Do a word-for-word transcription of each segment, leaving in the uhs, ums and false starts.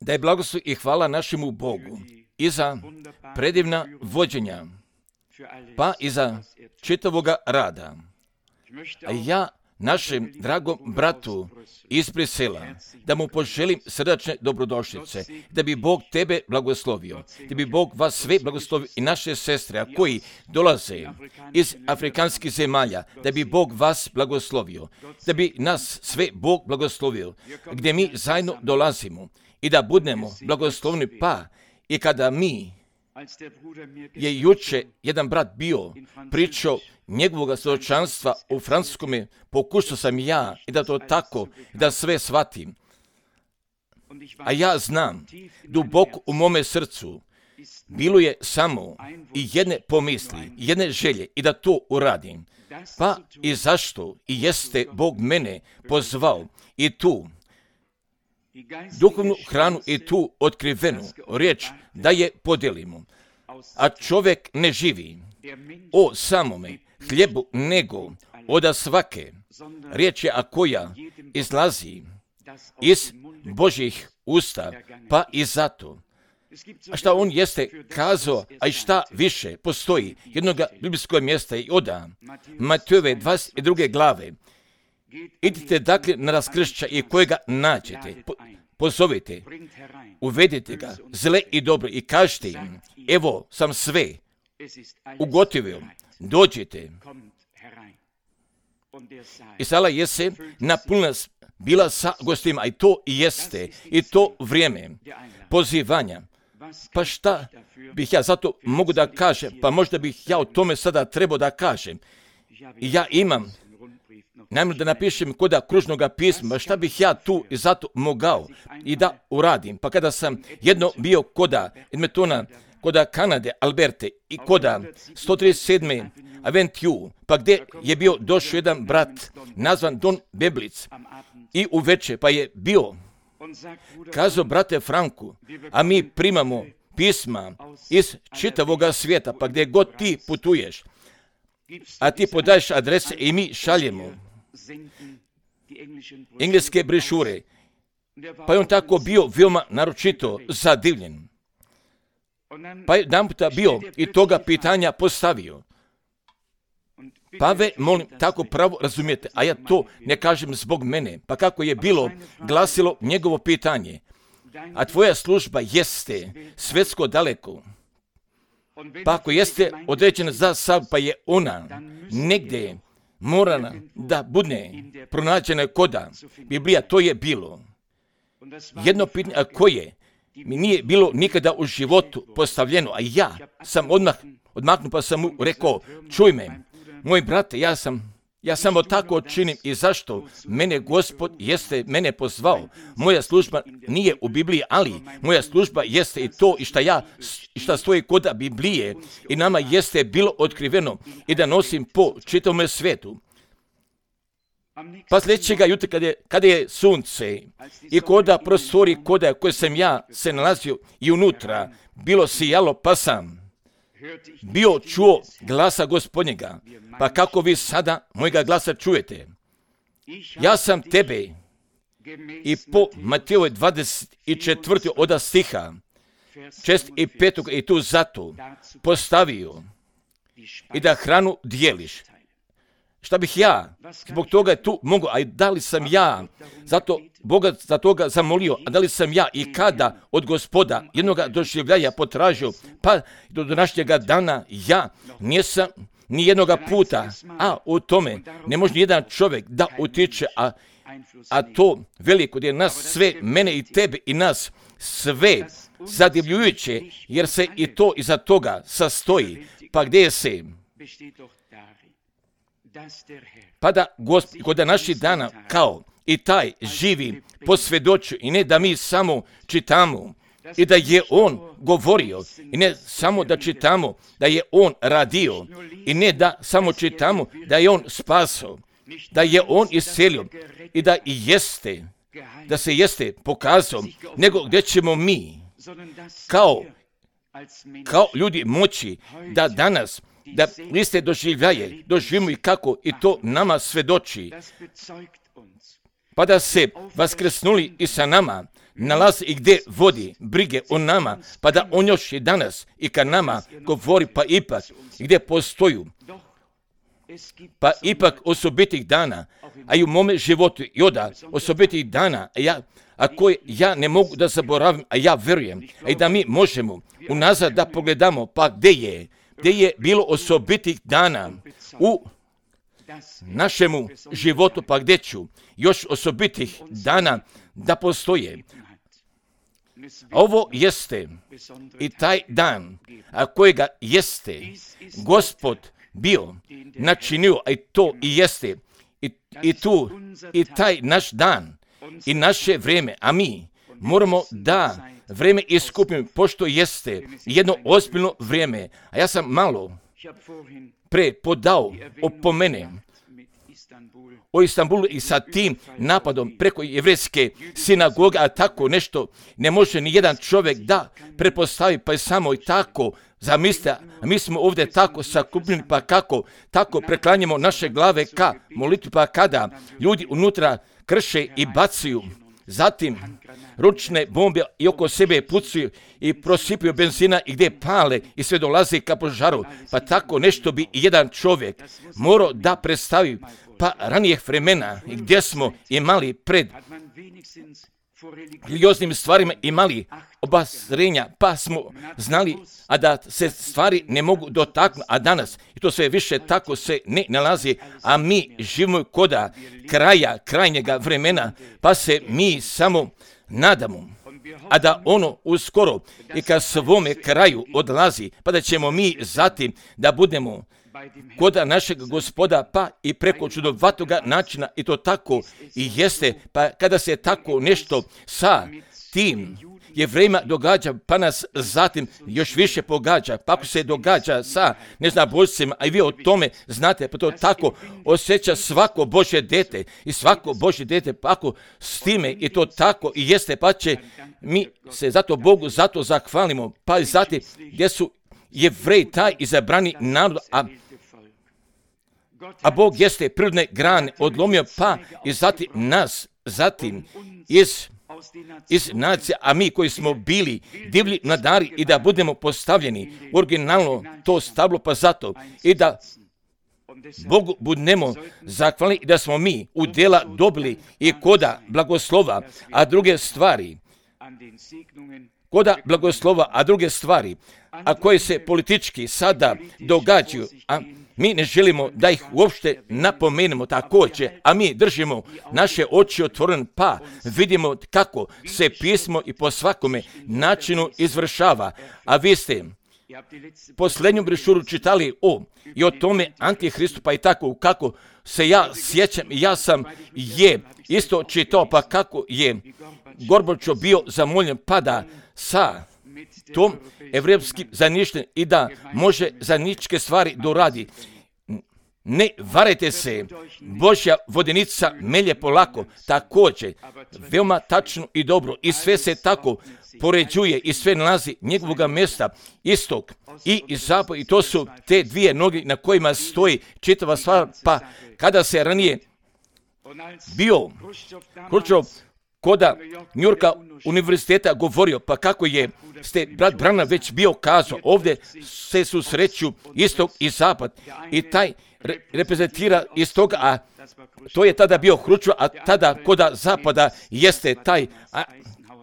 Da je blagoslov i hvala našemu Bogu i za predivna vođenja, pa i za čitavoga rada. A ja našem dragom bratu iz Brisela, da mu poželim srdačne dobrodošlice, da bi Bog tebe blagoslovio, da bi Bog vas sve blagoslovio i naše sestre, a koji dolaze iz afrikanskih zemalja, da bi Bog vas blagoslovio, da bi nas sve Bog blagoslovio, gdje mi zajedno dolazimo i da budemo blagoslovni, pa i kada mi je juče jedan brat bio pričao njegovog svjedočanstva u francuskome, pokušao sam ja i da to tako, da sve shvatim. A ja znam, duboko u mome srcu, bilo je samo i jedne pomisli, jedne želje i da to uradim. Pa i zašto i jeste Bog mene pozvao i tu duhovnu hranu i tu otkrivenu riječ da je podijelimo. A čovjek ne živi o samome hljebu, nego od svake riječi, a koja izlazi iz Božjih usta, pa i zato. A šta on jeste kazao, a i šta više postoji jednoga biblijskog mjesta i oda Matejove dvadeset druge glave. Idite dakle na raskršća i kojega nađete, po, pozovite, uvedite ga, zle i dobro, i kažite im, evo sam sve ugotovio, dođite. I sala jese napunila bila sa gostima, i to jeste, i to vrijeme pozivanja. Pa šta bih ja zato mogu da kažem, pa možda bih ja o tome sada trebao da kažem. I ja imam namjeru da napišem koda kružnoga pisma, šta bih ja tu i zato mogao i da uradim. Pa kada sam jedno bio koda Edmontona, koda Kanade, Alberte i koda sto trideset sedme Avenue, pa gdje je bio došao jedan brat nazvan Don Beblic i uveče, pa je bio kazao, brate Franku, a mi primamo pisma iz čitavoga svijeta, pa gdje god ti putuješ, a ti podaješ adrese i mi šaljemo engleske brišure. Pa je on tako bio veoma naročito zadivljen. Pa je jedan puta bio i toga pitanja postavio. Pa ve, molim, tako pravo razumijete, a ja to ne kažem zbog mene. Pa kako je bilo glasilo njegovo pitanje, a tvoja služba jeste svjetsko daleko. Pa ako jeste određena za sav, pa je ona negdje morana da bude pronađena koda Biblija, to je bilo. Jedno pitanje, a koje mi nije bilo nikada u životu postavljeno, a ja sam odmah odmaknuo pa sam mu rekao, čuj me, moj brate, ja sam, ja samo tako činim i zašto mene Gospod jeste mene pozvao. Moja služba nije u Bibliji, ali moja služba jeste i to i šta ja, i šta stoji koda Biblije i nama jeste bilo otkriveno i da nosim po čitavom svijetu. Pa sljedećega jutra kada je, kada je sunce i koda prostori koda koje sam ja se nalazio i unutra bilo sijalo, pa sam bio čuo glasa Gospodnjega. Pa kako vi sada mojega glasa čujete? Ja sam tebe i po Matejove dvadeset četvrte oda stiha šest i petog i tu zato postavio i da hranu dijeliš. Šta bih ja zbog toga tu mogu, a da li sam ja zato Boga za toga zamolio, a da li sam ja i kada od Gospoda jednoga doživljaja potražio, pa do današnjega dana ja nisam ni jednoga puta, a u tome ne može ni jedan čovjek da utiče, a, a to veliko gdje nas sve, mene i tebe i nas sve zadivljujuće, jer se i to iza toga sastoji, pa gdje se pa da Gospod kod naših dana kao i taj živi posvjedočio i ne da mi samo čitamo i da je on govorio i ne samo da čitamo da je on radio i ne da samo čitamo da je on spasao, da je on iscelio i da i jeste, da se jeste pokazao, nego gdje ćemo mi kao, kao ljudi moći da danas da liste doživljaje, doživimo i kako i to nama svedoči. pa da se vaskrsnuli i sa nama nalazi i gdje vodi brige o nama, pa da on još i danas i ka nama govori, pa ipak gdje postoju, pa ipak osobitih dana, a i u mome životu i oda osobitih dana, a, ja, a koje ja ne mogu da zaboravim, a ja verujem, a i da mi možemo unazad da pogledamo, pa gdje je, gdje je bilo osobitih dana u našemu životu, pa gdje ću još osobitih dana da postoje. Ovo jeste i taj dan, a kojega jeste Gospod bio načinio, a i to i jeste i, i tu i taj naš dan i naše vrijeme, a mi moramo da vrijeme iskupimo, pošto jeste jedno ozbiljno vrijeme. A ja sam malo pre podao opomene o Istanbulu i sa tim napadom preko jevrejske sinagoge, a tako nešto ne može ni jedan čovjek da pretpostavi, pa je samo i tako zamislite, a mi smo ovdje tako sakupljeni, pa kako tako preklanjamo naše glave ka molitvi, pa kada ljudi unutra krše i bacaju, zatim ručne bombe i oko sebe pucaju i prosipaju benzina i gdje pale i sve dolazi ka požaru, pa tako nešto bi i jedan čovjek morao da predstavi, pa ranijih vremena gdje smo imali pred religioznim stvarima imali obazrenja, pa smo znali, a da se stvari ne mogu dotaknuti, a danas, i to sve više tako se ne nalazi, a mi živimo koda kraja, krajnjega vremena, pa se mi samo nadamo, a da ono uskoro i ka svome kraju odlazi, pa da ćemo mi zatim da budemo koda našeg Gospoda, pa i preko čudovatoga načina, i to tako i jeste, pa kada se tako nešto sa tim Jevrejima događa, pa nas zatim još više pogađa, pa ako se događa sa neznaboljcima, a i vi o tome znate, pa to tako osjeća svako Božje dete i svako Božje dete, pa ako s time i to tako i jeste, pa će mi se zato Bogu zato zahvalimo, pa i zatim gdje su Jevreji taj izabrani narod, a, a Bog jeste prirodne grane odlomio, pa i zatim nas, zatim iz, iz nacija, a mi koji smo bili divlji mladari i da budemo postavljeni originalno to stablo, pa zato i da Bogu budemo zahvalni i da smo mi u djela dobili i koda blagoslova, a druge stvari, koda blagoslova, a druge stvari, a koje se politički sada događaju, a mi ne želimo da ih uopšte napomenemo također, a mi držimo naše oči otvorene, pa vidimo kako se pismo i po svakome načinu izvršava. A vi ste posljednju brošuru čitali o i o tome Antihristu, pa i tako kako se ja sjećam, ja sam je isto čitao, pa kako je Gorbačov bio zamoljen, pa da sa tom evropskim zaništenjem i da može zajedničke stvari doradi. Ne varajte se, Božja vodenica melje polako, također, veoma tačno i dobro, i sve se tako poređuje i sve nalazi njegovoga mjesta, istok i zapad, i to su te dvije noge na kojima stoji čitava stvar, pa kada se ranije bio Hruščov koda Njurka univerziteta govorio, pa kako je ste brat Branham već bio kazao, ovdje se susreću istok i zapad i taj re, reprezentira istoga, a to je tada bio Hruščov, a tada koda zapada jeste taj a,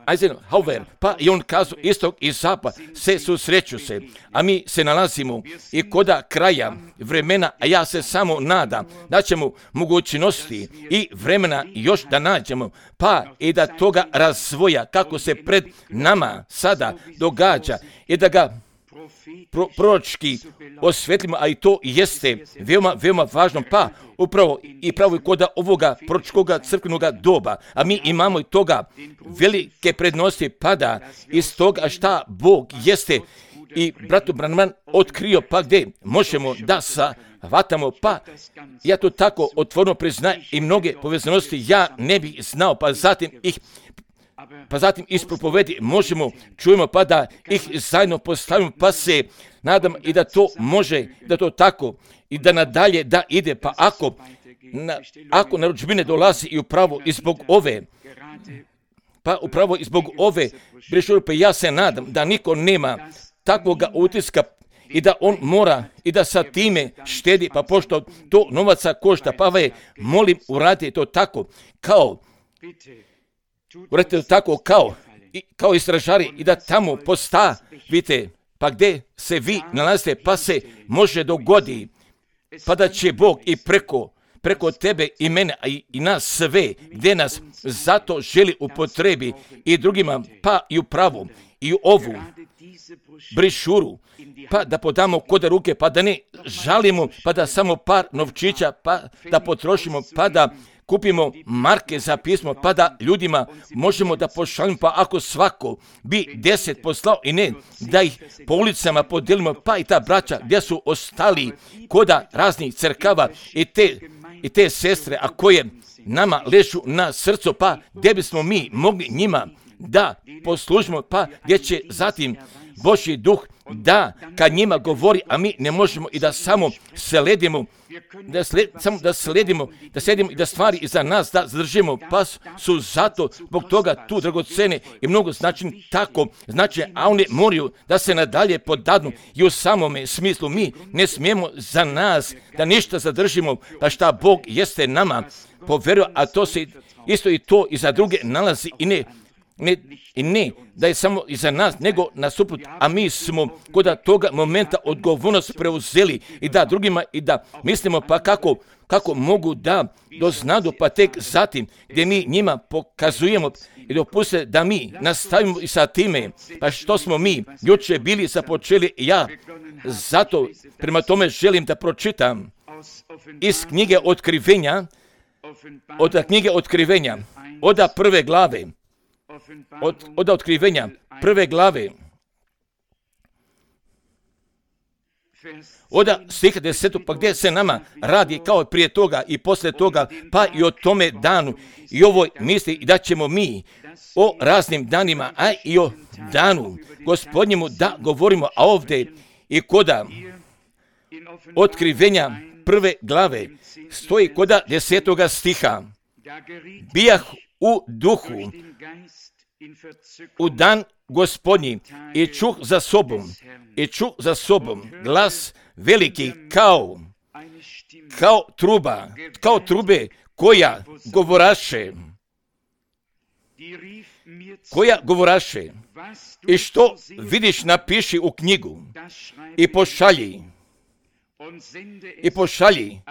Eisenhower, pa i on kazao istok i zapad se susreću se, a mi se nalazimo i koda kraja vremena, a ja se samo nadam da ćemo mogućnosti i vremena još da nađemo, pa i da toga razvoja kako se pred nama sada događa i da ga pro, proročki osvetlimo, a i to jeste veoma, veoma važno, pa upravo i pravo i koda ovoga proročkoga crkvenog doba, a mi imamo i toga velike prednosti, pada iz toga šta Bog jeste i bratu Branham otkrio, pa gdje možemo da shvatamo, pa ja to tako otvoreno priznajem i mnoge povezanosti ja ne bih znao, pa zatim ih pa zatim ispropovedi možemo, čujemo, pa da ih zajedno postavimo, pa se nadam i da to može, da to tako i da nadalje da ide, pa ako na, ako narudžbine dolazi i upravo i zbog ove, pa upravo i zbog ove brešure, pa ja se nadam da niko nema takvoga utiska i da on mora i da sa time štedi, pa pošto to novaca košta, pa ve, molim, uradite to tako, kao, uradite to tako kao, i, kao istražari i da tamo postavite, pa gdje se vi nalazite, pa se može dogodi, pa da će Bog i preko, preko tebe i mene, a i, i nas sve, gdje nas zato želi upotrebi i drugima, pa i u pravu, i u ovu brišuru, pa da podamo kod ruke, pa da ne žalimo, pa da samo par novčića, pa da potrošimo, pa da kupimo marke za pismo, pa da ljudima možemo da pošaljimo, pa ako svako bi deset poslao i ne da ih po ulicama podelimo, pa i ta braća gdje su ostali koda raznih crkava i te, i te sestre, a koje nama ležu na srcu, pa gdje bismo mi mogli njima da poslužimo, pa gdje će zatim Božji duh da kad njima govori, a mi ne možemo i da samo sledimo, da, sled, samo da sledimo, da sledimo i da stvari iza nas da zadržimo, pa su zato zbog toga tu dragocene i mnogo značajni tako značajne, a one moraju da se nadalje podadnu i u samome smislu mi ne smijemo za nas da ništa zadržimo, pa šta Bog jeste nama poverio, a to se isto i to i za druge nalazi i ne Ne, i ne da je samo iza nas, nego nasuprot, a mi smo kod toga momenta odgovornost preuzeli i da drugima i da mislimo pa kako, kako mogu da doznadu, pa tek zatim gdje mi njima pokazujemo i dopuste da mi nastavimo i sa time, pa što smo mi juče bili započeli i ja, zato prema tome želim da pročitam iz knjige Otkrivenja, od knjige Otkrivenja, od prve glave, Od, od Otkrivenja, prve glave, od stiha desetog, pa gdje se nama radi kao prije toga i poslije toga, pa i o tome danu i ovoj misli i da ćemo mi o raznim danima, a i o danu Gospodnjemu da govorimo, a ovdje i koda Otkrivenja prve glave stoji koda desetoga stiha, bijah u duhu u dan Gospodnji i čuh za sobom, i čuh za sobom glas veliki kao, kao truba, kao trube koja govoraše, koja govoraše, i što vidiš napiši u knjigu i pošalji, i pošalji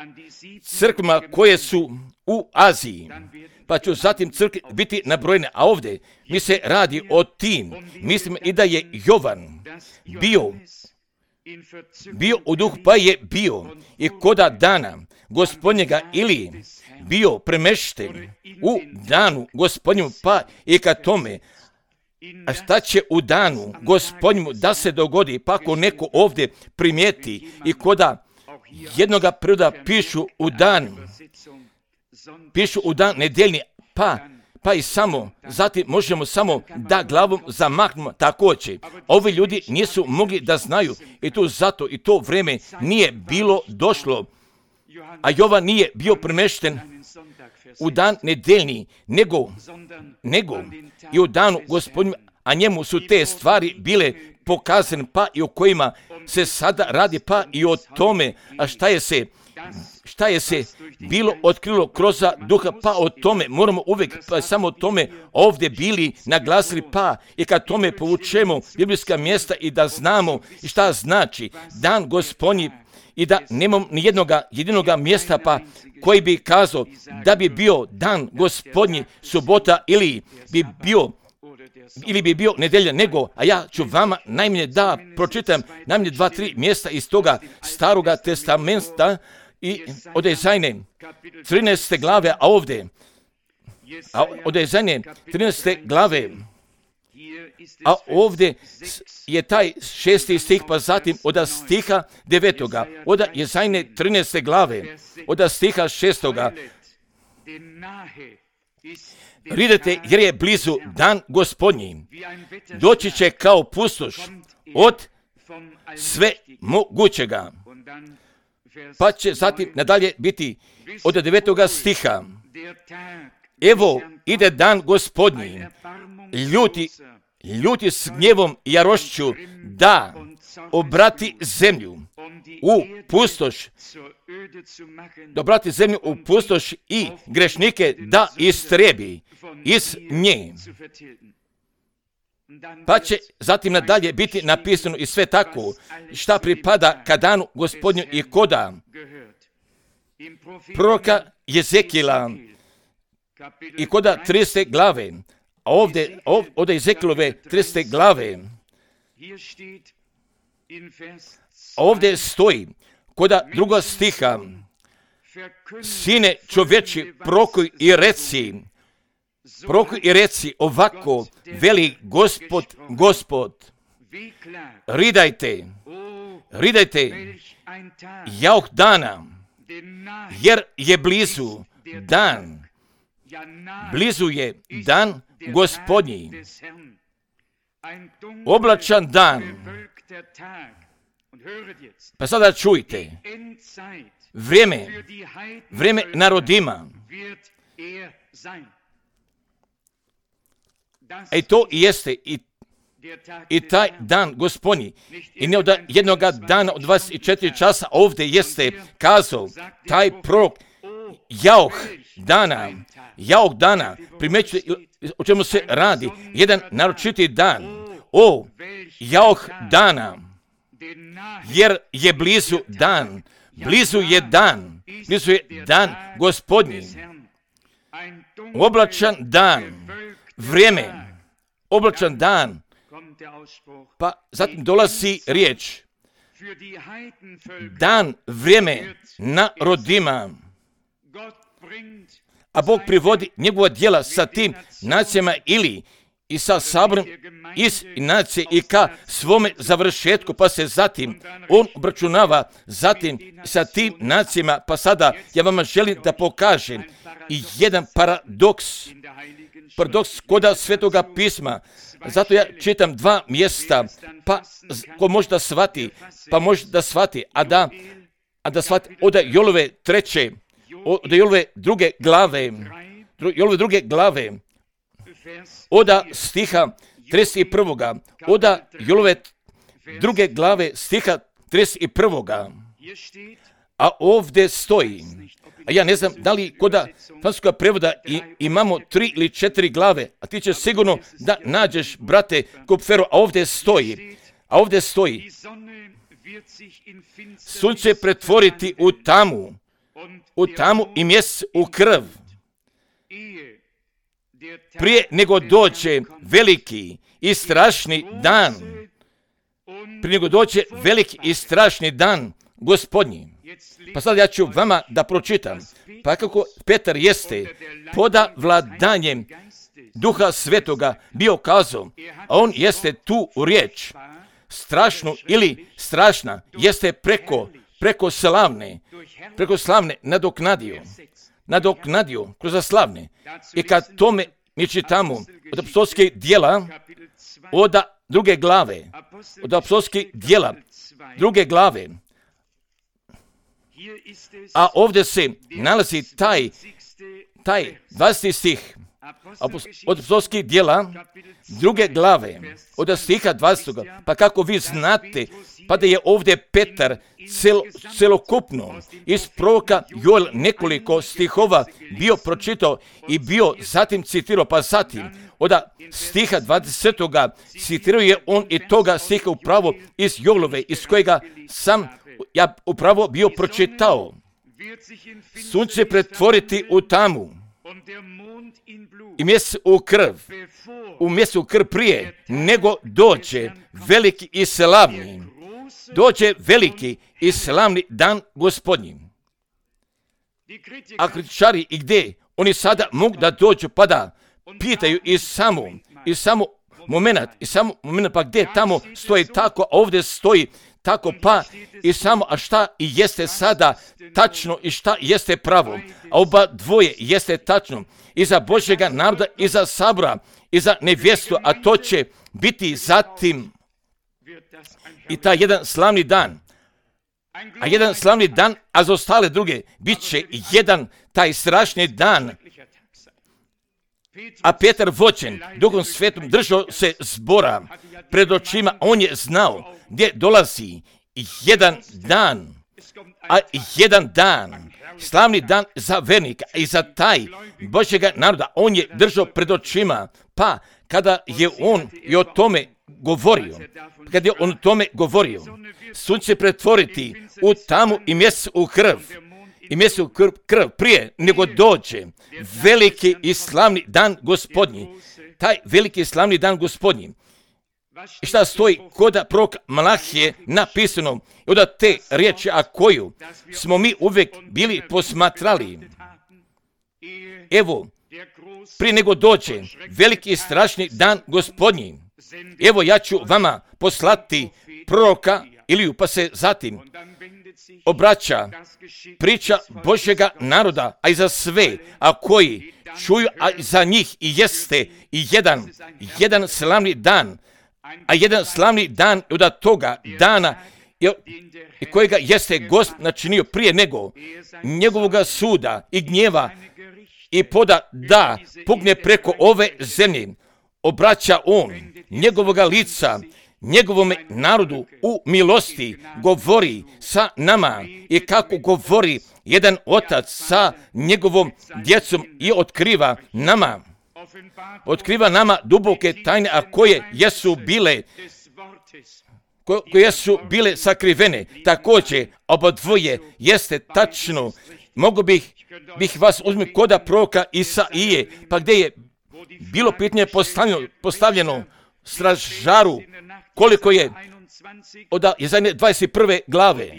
crkvama koje su u Aziji, pa ću zatim crkve biti nabrojene, a ovdje mi se radi o tim, mislim i da je Jovan bio, bio u duhu, pa je bio i koda dana Gospodnjega ili bio premešten u danu Gospodnjemu, pa i ka tome, a šta će u danu Gospodnjemu da se dogodi, pa ako neko ovdje primijeti i koda jednoga priroda pišu u dan, pišu u dan nedeljni, pa, pa i samo, zatim možemo samo da glavom zamahnemo također. Ovi ljudi nisu mogli da znaju i tu zato i to vreme nije bilo došlo, a Jovan nije bio premešten u dan nedeljni, nego, nego i u danu Gospodnju, a njemu su te stvari bile pokazane, pa i o kojima se sada radi, pa i o tome, a šta je se, šta je se bilo otkrilo kroz duha, pa o tome moramo uvijek, pa samo o tome ovdje bili naglasili, pa i kad tome povučemo biblijska mjesta i da znamo šta znači dan Gospodnji, i da nemam ni jednoga jedinoga mjesta pa koji bi kazao da bi bio dan Gospodnji subota ili bi bio ili bi bio nedelja, nego, a ja ću vama najmanje da pročitam najmanje dva, tri mjesta iz toga staroga testamenta i od Ezajne trinaeste glave, a ovdje, a od Ezajne trinaeste glave, a ovdje je taj šesti stih, pa zatim od stiha devetoga, od Ezajne trinaeste glave, od stiha šestoga, ridete jer je blizu dan Gospodnji, doći će kao pustoš od sve mogućega. Pa će zatim nadalje biti od devetoga stiha. Evo ide dan Gospodnji, ljuti, ljuti s gnjevom i jarošću, da obrati zemlju u pustoš, da obrati zemlju u pustoš i grešnike da istrebi iz nje. Pa će zatim nadalje biti napisano i sve tako šta pripada ka danu Gospodnju i koda proroka Jezekila i koda triste glave, a ovdje, ovdje Jezekilove triste glave, ovdje stoji koda druga stiha, sine čoveči, prorokuj i reci, prorokuj i reci ovako, veli Gospod, Gospod, ridajte, ridajte, jauh dana, jer je blizu dan, blizu je dan Gospodnji, oblačan dan. Pa sada čujte, vrijeme, vrijeme narodima, i to i jeste i, i taj dan Gospodnji. I ne od jednoga dana od dvadeset četiri časa ovdje jeste kazao taj prorok, jauh dana, jauh dana, primećujete o čemu se radi, jedan naročiti dan, o, jauh dana, jer je blizu dan, blizu je dan, blizu je dan Gospodnji, oblačan dan, vrijeme, oblačan dan, pa zatim dolazi riječ, dan, vrijeme narodima, a Bog privodi njegova djela sa tim nacijama ili i sa saborom iz nacije i ka svome završetku, pa se zatim on obračunava zatim sa tim nacijama. Pa sada ja vama želim da pokažem i jedan paradoks, paradoks koda Svetoga pisma. Zato ja čitam dva mjesta, pa ko može da shvati, pa može da shvati, a da, a da shvati od Jolove treće, od Jolove druge glave, Jolove druge glave, oda stiha trideset prvoga, oda Jolove druge glave stiha trideset prvoga, a ovdje stoji, a ja ne znam da li koda francuskog prevoda i, imamo tri ili četiri glave, a ti ćeš sigurno da nađeš, brate Kupferu, a ovdje stoji, a ovdje stoji, sunce pretvoriti u tamu, u tamu i mjesec u krv, prije nego dođe veliki i strašni dan, prije nego dođe veliki i strašni dan Gospodnji. Pa sad ja ću vama da pročitam, pa kako Petar jeste poda vladanjem Duha Svetoga bio kazao, a on jeste tu u riječ, strašnu ili strašna, jeste preko, preko slavne, preko slavne nadoknadio, nadoknadio kroz slavne. I kad tome mi čitamo od apostolskih djela, od druge glave, od apostolskih djela, druge glave, a ovdje se nalazi taj, taj dvadeseti stih od apostolskih djela, druge glave, od stiha dvadesetog. Pa kako vi znate, pa da je ovdje Petar cel, celokupno iz proroka Joel nekoliko stihova bio pročitao i bio zatim citirao, pa zatim od stiha dvadesetoga citirao je on i toga stiha upravo iz Joelove, iz kojega sam ja upravo bio pročitao. Sunce pretvoriti u tamu i mjesec u krv, u mjesec u krv prije nego dođe veliki i slavni, dođe veliki i slavni dan Gospodnji. A kritičari i gdje? Oni sada mogu da dođu pa da pitaju i samo, i samo moment, i samo moment, pa gdje tamo stoji tako, a ovdje stoji tako, pa i samo, a šta i jeste sada tačno i šta jeste pravo, a oba dvoje jeste tačno i za Božjega naroda i za sabora i za nevjestu, a to će biti zatim i taj jedan slavni dan, a jedan slavni dan, a za ostale druge bit će jedan taj strašni dan. A Petar vođen Duhom Svetom držao se zbora pred očima, on je znao gdje dolazi jedan dan, a jedan dan, slavni dan za vernika i za taj Božjega naroda, on je držao pred očima, pa kada je on i o tome govorio, kada je on o tome govorio, sunce pretvoriti u tamu i mjesec u krv, i mjesec u krv, krv prije nego dođe veliki i slavni dan Gospodnji, taj veliki i slavni dan Gospodnji. I šta stoji kod proroka Malahije napisano, od te riječi, a koju smo mi uvijek bili posmatrali. Evo, prije nego dođe veliki i strašni dan Gospodnji, evo ja ću vama poslati proroka Iliju, pa se zatim obraća priča Božjega naroda, a i za sve, a koji čuju, a za njih i jeste i jedan, jedan slavni dan, a jedan slavni dan od toga dana i kojega jeste Gospod načinio prije nego njegovoga suda i gnjeva i poda da pugne preko ove zemlje, obraća on njegovoga lica njegovome narodu u milosti, govori sa nama i kako govori jedan otac sa njegovom djecom i otkriva nama, otkriva nama duboke tajne, a koje jesu bile, koje su bile sakrivene. Također, oba dvoje jeste tačno. Mogu bih, bih vas uzmi koda proroka Isaije, pa gdje je bilo pitanje postavljeno, postavljeno stražaru, koliko je od Jezaje dvadeset prve glave,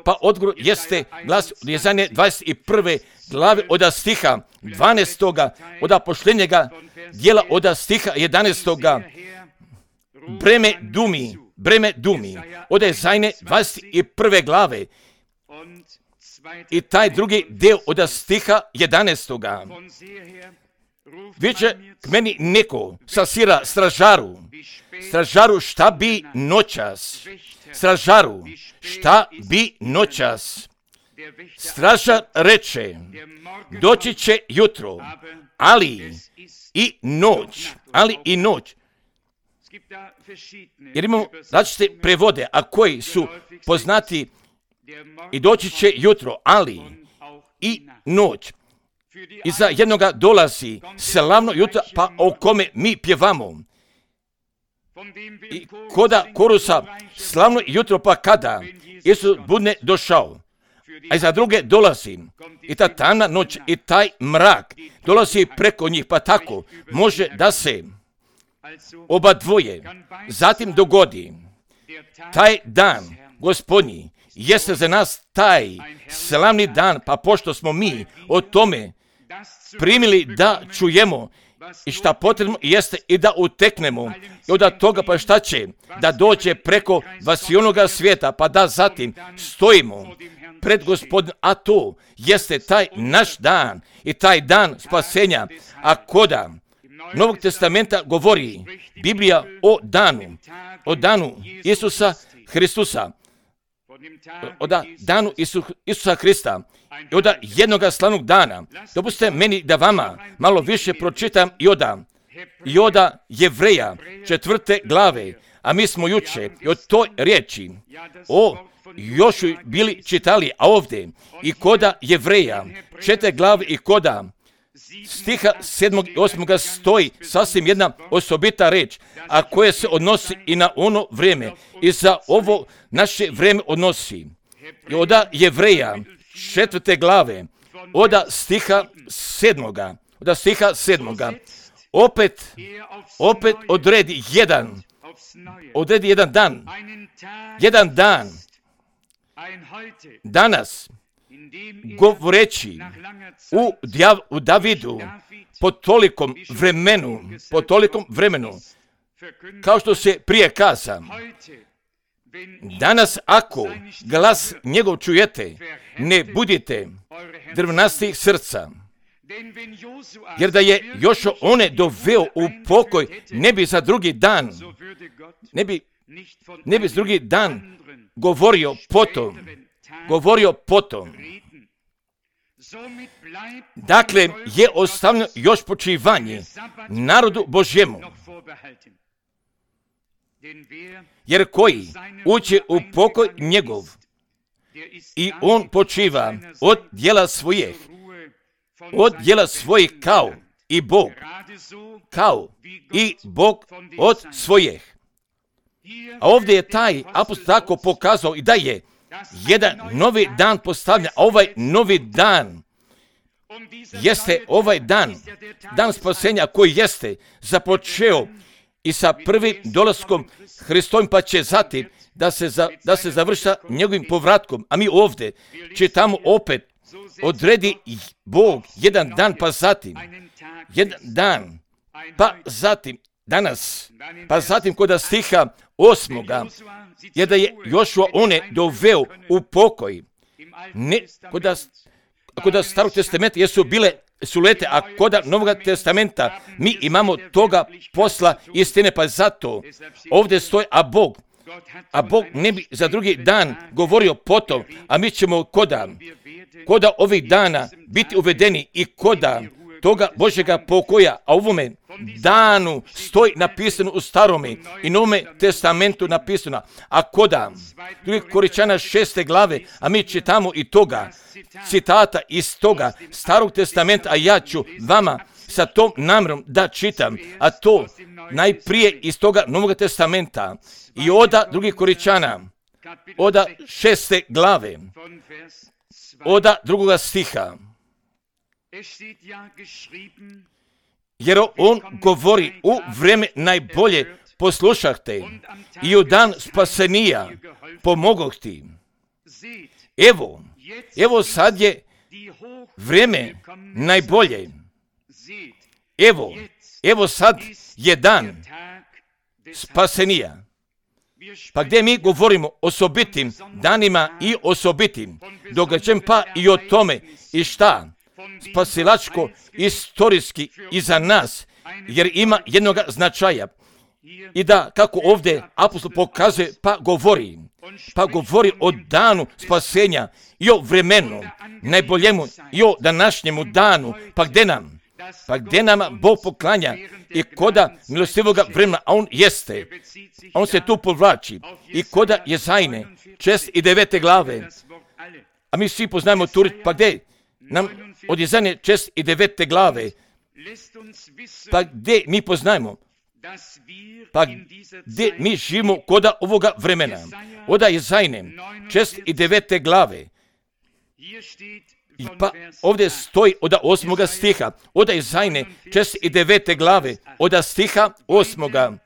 pa odgovor jeste glas od Jezaje dvadeset prve glave od stiha dvanaestoga, od pošljenjega dijela od stiha jedanaestoga, breme dumi, breme dumi, od Jezaje dvadeset prve glave i taj drugi dio od stiha jedanaestoga. Viče k meni neko sasira stražaru, stražaru šta bi noćas, stražaru šta bi noćas. Stražar reče, doći će jutro, ali i noć, ali i noć. Jer imamo različite prevode, a koji su poznati i doći će jutro, ali i noć. I za jednoga dolazi slavno jutro, pa o kome mi pjevamo. I koda korusa slavno jutro, pa kada Isus bude došao. A i za druge dolazi i ta tamna noć i taj mrak dolazi preko njih, pa tako može da se oba dvoje zatim dogodi. Taj dan Gospodnji jeste za nas taj slavni dan, pa pošto smo mi o tome primili da čujemo i šta potrebno jeste i da uteknemo i od toga pa šta će da dođe preko vasionoga svijeta, pa da zatim stojimo pred Gospodinom, a to jeste taj naš dan i taj dan spasenja. A koda Novog testamenta govori Biblija o danu, o danu Isusa Hristusa, o danu Isu, Isusa Hrista i od jednoga slavnog dana. Dopustite meni da vama malo više pročitam i oda, i oda Jevreja četvrte glave, a mi smo juče i od toj riječi o Jošu bili čitali, a ovdje i koda Jevreja četvrte glave i koda stiha sedmog i osmoga stoji sasvim jedna osobita reč, a koja se odnosi i na ono vrijeme i za ovo naše vrijeme odnosi. I oda Jevreja četvrte glave, oda stiha sedmoga, oda stiha sedmoga, opet, opet odredi jedan, odredi jedan dan, jedan dan, danas, govoreći u, Djav, u Davidu po tolikom vremenu, po tolikom vremenu, kao što se prije kaza, danas ako glas njegov čujete, ne budite drvnastih srca, jer da je Jošo one doveo u pokoj, ne bi za drugi dan, ne bi, ne bi za drugi dan govorio potom, govorio potom. Dakle, je ostavljeno još počivanje narodu Božjemu. Jer koji uđe u pokoj njegov i on počiva od djela svojih, od djela svojih kao i Bog, kao i Bog od svojih. A ovdje je taj apostol tako pokazao i da je jedan novi dan postavljen, a ovaj novi dan jeste ovaj dan, dan spasenja koji jeste započeo i sa prvim dolaskom Hristovim, pa će zatim da se, za, da se završi njegovim povratkom. A mi ovdje čitamo opet, odredi Bog jedan dan, pa zatim jedan dan, pa zatim danas, pa zatim kod stiha osmoga, je da je Jošua one doveo u pokoj. Ne, kod, kod starog testamenta jesu bile sulete, a kod Novog testamenta mi imamo toga posla istine, pa zato ovdje stoji, a Bog, a Bog ne bi za drugi dan govorio potom, a mi ćemo koda, koda ovih dana biti uvedeni i koda toga Božjega pokoja, a u ovome danu stoji napisano u starome i Novome testamentu napisano, a koda drugi Koričana šeste glave, a mi čitamo i toga citata iz toga starog testamenta, a ja ću vama sa tom namjerom da čitam, a to najprije iz toga Novog testamenta i oda drugih Koričana, oda šeste glave, oda drugoga stiha. Jer on govori, u vrijeme najbolje poslušahte i u dan spasenija pomogoh ti. Evo, evo sad je vrijeme najbolje. Evo, evo sad je dan spasenija. Pa gdje mi govorimo o osobitim danima i osobitim događajem, pa i o tome i šta spasilačko istorijski i za nas, jer ima jednog značaja. I da, kako ovdje apostol pokazuje, pa govori, pa govori o danu spasenja i o vremenu najboljemu i o današnjemu danu, pa gdje nam, pa gdje nama Bog poklanja i koda milostivoga vremena, a on jeste, a on se tu povlači i koda Jezajne, šest i devete glave, a mi svi poznajemo tu, pa gdje nam od Jezajne šest i devete glave, pa gdje mi poznajemo, pa gdje mi živimo koda ovoga vremena, oda Jezajne šest i devete glave, i pa ovdje stoji oda osmoga stiha, oda Jezajne šest i devete glave, oda stiha osmoga,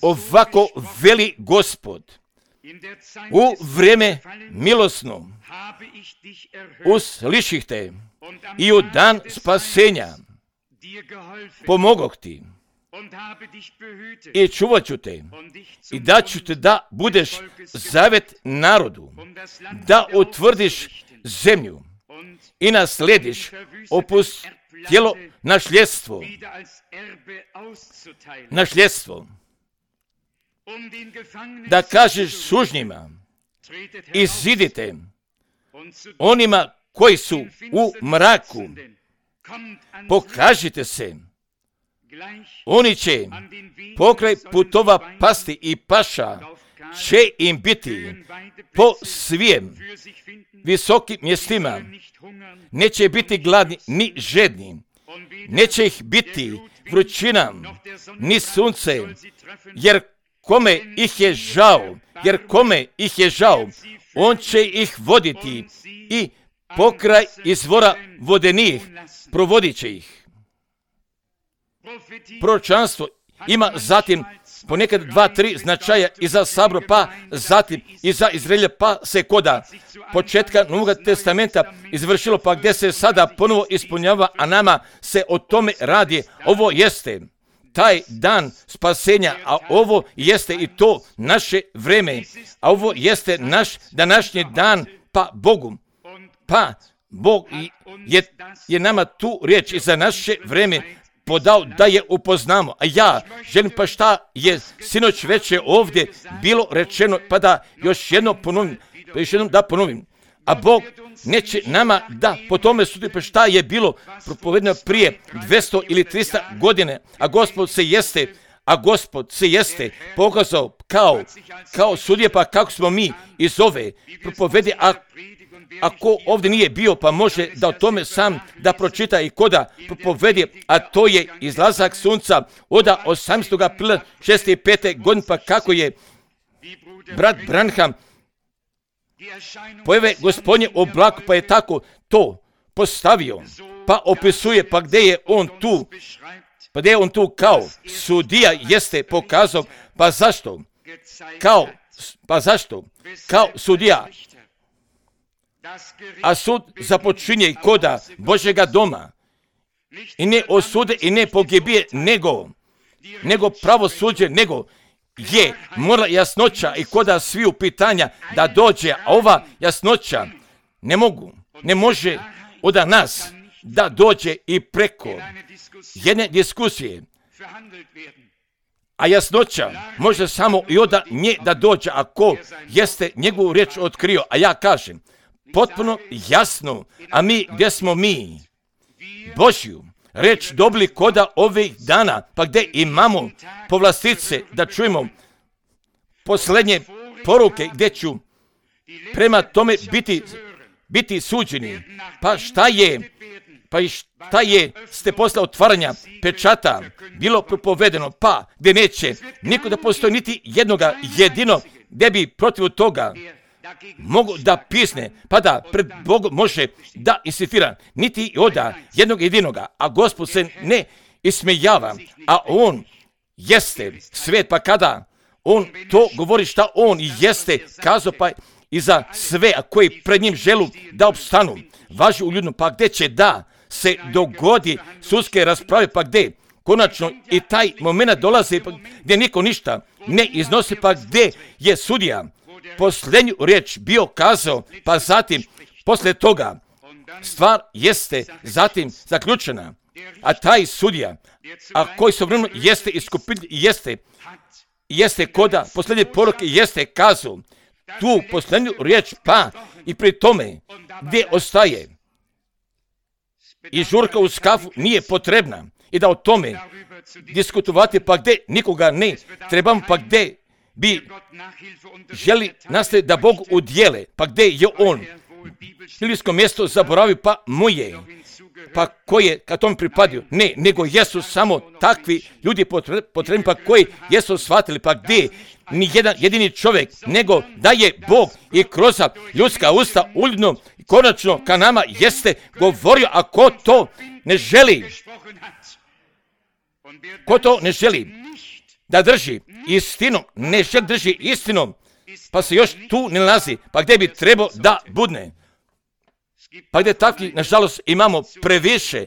ovako veli Gospod, u vrijeme milosno usliših te i u dan spasenja pomogoh ti i čuvat ću te i daću te da budeš zavet narodu, da utvrdiš zemlju i naslediš opustjelo našljedstvo, našljedstvo, da kažeš sužnjima, izidite onima koji su u mraku, pokažite se, oni će pokraj putova pasti i paša će im biti po svijem visokim mjestima, neće biti gladni ni žedni, neće ih biti vrućina ni sunce, jer kome ih je žao, jer kome ih je žao, on će ih voditi i pokraj izvora vodenih provodit će ih. Proročanstvo ima zatim ponekad dva, tri značaja i za sabor, pa zatim i za Izraelja, pa se koda početka Novog testamenta izvršilo, pa gdje se sada ponovo ispunjava, a nama se o tome radi. Ovo jeste taj dan spasenja, a ovo jeste i to naše vreme, a ovo jeste naš današnji dan, pa Bogu, pa Bog je, je nama tu riječ i za naše vreme podao da je upoznamo. A ja želim, pa šta je sinoć večer ovdje bilo rečeno, pa da još jedno ponovim, To još jednom da ponovim. A Bog neće nama da po tome sudi pa šta je bilo propovedeno prije dvjesto ili tristo godine, a Gospod se jeste, a Gospod se jeste pokazao kao, kao sudija, pa kako smo mi iz ove propovedi, a ako ovdje nije bio, pa može da o tome sam da pročita i koda propovedi, a to je izlazak sunca od osamnaestog aprila šezdeset pete godine, pa kako je brat Branham pojave Gospodnje oblaku, pa je tako to postavio, pa opisuje, pa gdje je on tu, pa gdje je on tu kao sudija jeste pokazao, pa zašto? Kao, pa zašto? Kao sudija. A sud započinje i koda Božjega doma. I ne osude i ne pogibije, nego, nego pravosuđe, nego je mora jasnoća i koda sviju pitanja da dođe, a ova jasnoća ne mogu, ne može od nas da dođe i preko jedne diskusije. A jasnoća može samo i od nje da dođe ako jeste njegovu riječ otkrio. A ja kažem, potpuno jasno, a mi gdje smo mi? Božju reč dobili koda ovih dana, pa gdje imamo povlastice da čujemo posljednje poruke gdje ću prema tome biti, biti suđeni. Pa šta je, pa i šta je ste posle otvaranja pečata bilo propovedeno, pa gdje neće niko da postoji niti jednoga jedino gdje bi protiv toga mogu da pisne, pa da pred Bogom može da insistira, niti oda jednog jedinoga, a Gospod se ne ismejava, a on jeste svet, pa kada on to govori šta on jeste kazao, pa i za sve, a koji pred njim želu da opstanu, važi u ljudnom, pa gdje će da se dogodi sudske rasprave, pa gdje konačno i taj moment dolazi, pa gdje niko ništa ne iznosi, pa gdje je sudija posljednju riječ bio kazao, pa zatim poslije toga stvar jeste zatim zaključena, a taj sudija, a koji su vremenu jeste iskupitelj, jeste, jeste koda posljednje poruke, jeste kazao tu posljednju riječ, pa i pri tome gdje ostaje i žurka uz kafu nije potrebna i da o tome diskutovati, pa gdje nikoga ne trebamo, pa gdje bi želi nastaviti da Bog udjele, pa gdje je on biblijsko mjesto zaboravio, pa moje, pa koje kad tom pripadio, ne, nego jesu samo takvi ljudi potrebni, pa koji jesu shvatili, pa gdje ni jedan jedini čovjek, nego da je Bog i kroz ljudska usta uljudno konačno ka nama jeste govorio, a ko to ne želi, ko to ne želi da drži istinom, ne želi drži istinom, pa se još tu ne nalazi, pa gdje bi trebao da budne. Pa gdje takvi, nažalost, imamo previše,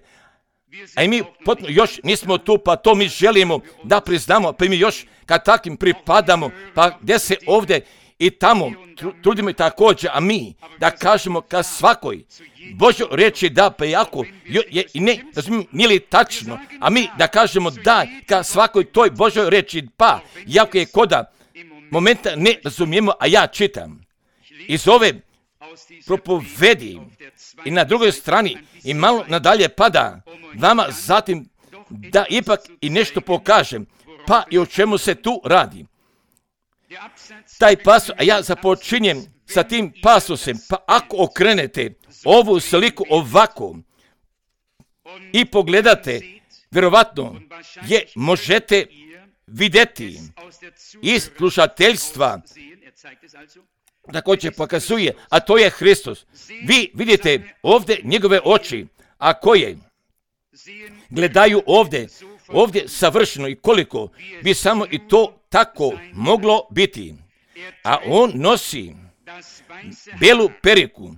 a i mi potpuno još nismo tu, pa to mi želimo da priznamo, pa mi još kad takvim pripadamo, pa gdje se ovdje i tamo trudimo i također, a mi da kažemo ka svakoj Božoj riječi da, pa jako je i ne razumijem, nije li tačno, a mi da kažemo da ka svakoj toj Božoj riječi, pa jako je koda momenta ne razumijemo, a ja čitam iz ove propovedi i na drugoj strani i malo nadalje pada vama zatim da ipak i nešto pokažem, pa i o čemu se tu radi. Taj pasus, a ja započinjem sa tim pasusom, pa ako okrenete ovu sliku ovako i pogledate, vjerovatno je možete vidjeti iz slušateljstva, također pokazuje, a to je Hristos. Vi vidite ovdje njegove oči, a koje gledaju ovdje, ovdje savršeno i koliko bi samo i to tako moglo biti. A on nosi belu periku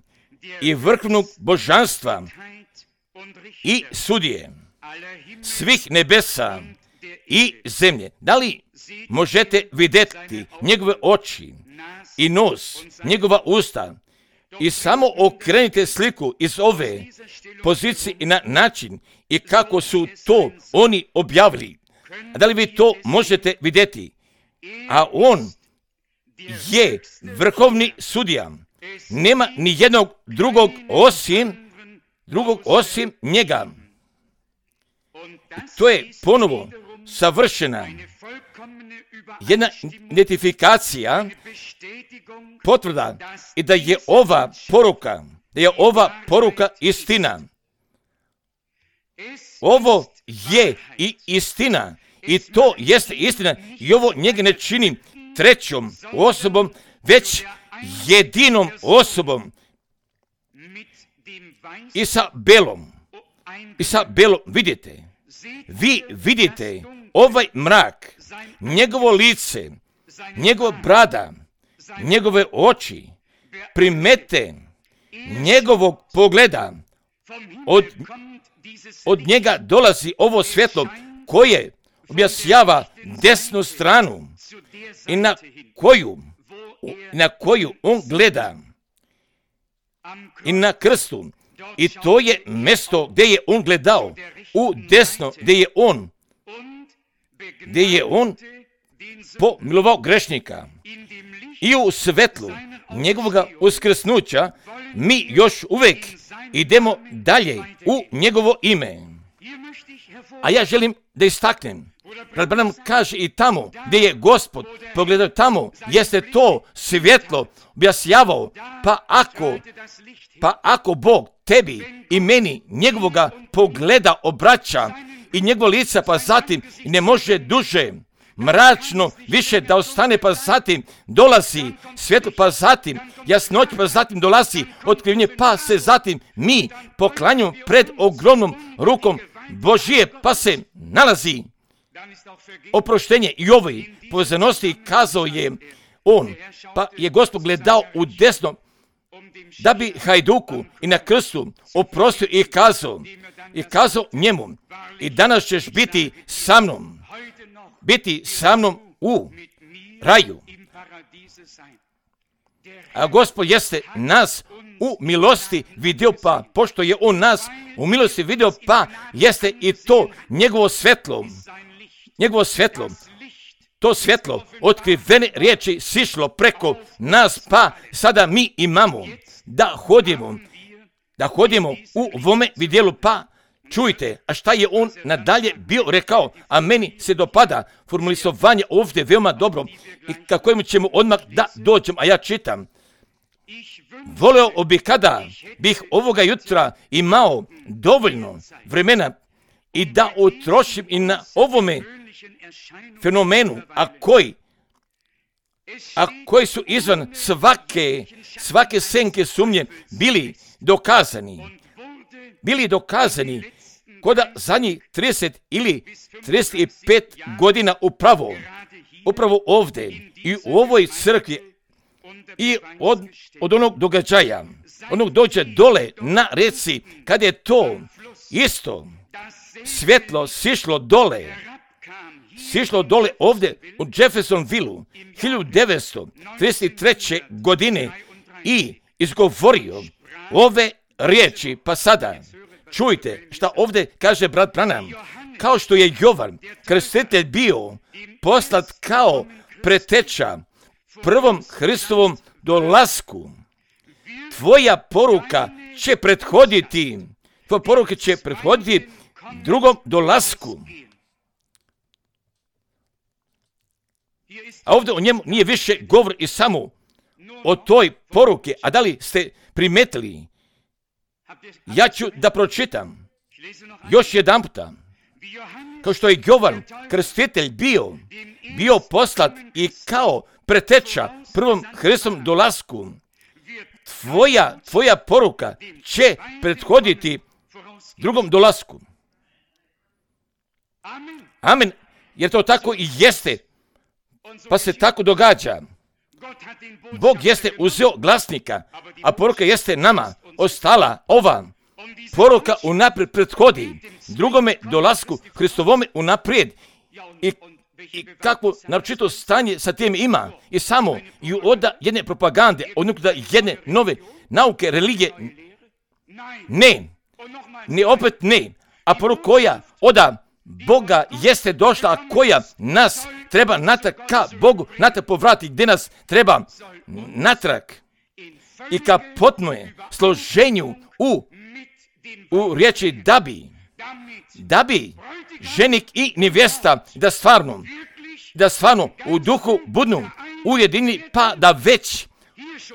i vrhovnog božanstva i sudije svih nebesa i zemlje. Da li možete vidjeti njegove oči i nos, njegova usta i samo okrenite sliku iz ove pozicije i na način i kako su to oni objavili. A da li vi to možete vidjeti? A on je vrhovni sudija Nema ni jednog drugog osim, drugog osim njega. To je ponovo savršena jedna identifikacija, potvrda i da je ova poruka, da je ova poruka istina. Ovo je i istina i to jeste istina i ovo njega ne čini trećom osobom, već jedinom osobom i sa belom. I sa belom vidite, vi vidite ovaj mrak, njegovo lice, njegov brada, njegove oči, primete njegovog pogleda, od, od njega dolazi ovo svjetlo koje objašnjava desnu stranu i na koju, na koju on gleda i na krstu. I to je mjesto gdje je on gledao, u desno, gdje je on, gdje je on pomilovao grešnika. I u svetlu njegovog uskrsnuća mi još uvijek idemo dalje u njegovo ime. A ja želim da istaknem, brat Branham kaže i tamo gdje je Gospod pogledao, tamo jeste to svjetlo objašnjavao, pa ako, pa ako Bog tebi i meni njegovoga pogleda obraća i njegovo lica, pa zatim ne može duže mračno više da ostane, pa zatim dolazi svjetlo, pa zatim jasnoć, pa zatim dolazi otkrivljenje, pa se zatim mi poklanjamo pred ogromnom rukom Božije, pa se nalazi oproštenje i ovoj povezanosti. Kazao je on, pa je Gospod gledao u desno da bi Hajduku i na krstu oprostio i kazao, i kazao njemu, i danas ćeš biti sa mnom, biti sa mnom u raju. A Gospod jeste nas u milosti vidio, pa pošto je on nas u milosti vidio, pa jeste i to njegovo svjetlo, njegovo svjetlo, to svjetlo otkrivene riječi sišlo preko nas, pa sada mi imamo da hodimo, da hodimo u ovome vidjelu, pa čujte, a šta je on nadalje bio rekao, a meni se dopada formulisovanje ovdje veoma dobro i kako ćemo odmah da dođem, a ja čitam. Voleo bi kada bih ovoga jutra imao dovoljno vremena i da utrošim i na ovome fenomenu, a koji, a koji su izvan svake, svake senke sumnje bili dokazani, bili dokazani koda zadnjih trideset ili trideset pet godina upravo, upravo ovdje i u ovoj crkvi i od, od onog događaja, onog dođe dole na reci, kad je to isto svjetlo sišlo dole, sišlo dole ovdje u Jeffersonville hiljadu devetsto trideset treće godine i izgovorio ove riječi, pa sada čujte šta ovdje kaže brat Branham. Kao što je Jovan Krstitelj bio poslat kao preteča prvom Hristovom dolasku, tvoja poruka će prethoditi, tvoja poruka će prethoditi drugom dolasku. A ovdje o njemu nije više govor i samo o toj poruke. A da li ste primetili? Ja ću da pročitam još jedan puta. Kao što je Jovan Krstitelj bio, bio poslat i kao preteča prvom Hristovom dolasku, tvoja, tvoja poruka će prethoditi drugom dolasku. Amen. Jer to tako i jeste. Pa se tako događa. Bog jeste uzeo glasnika, a poruka jeste nama ostala ova. Poruka unaprijed prethodi drugome dolasku Hristovome unaprijed. I, i kakvo naročito stanje sa tim ima. I samo i oda jedne propagande, odnosno jedne nove nauke, religije. Ne. Ne opet ne. A poruka koja oda Boga jeste došla, a koja nas treba natrag ka Bogu, natrag povrati, gdje nas treba natrag i kapotno je složenju u, u riječi da bi, da bi ženik i nevjesta da stvarno, da stvarno u duhu budnu ujedinjeni, pa da već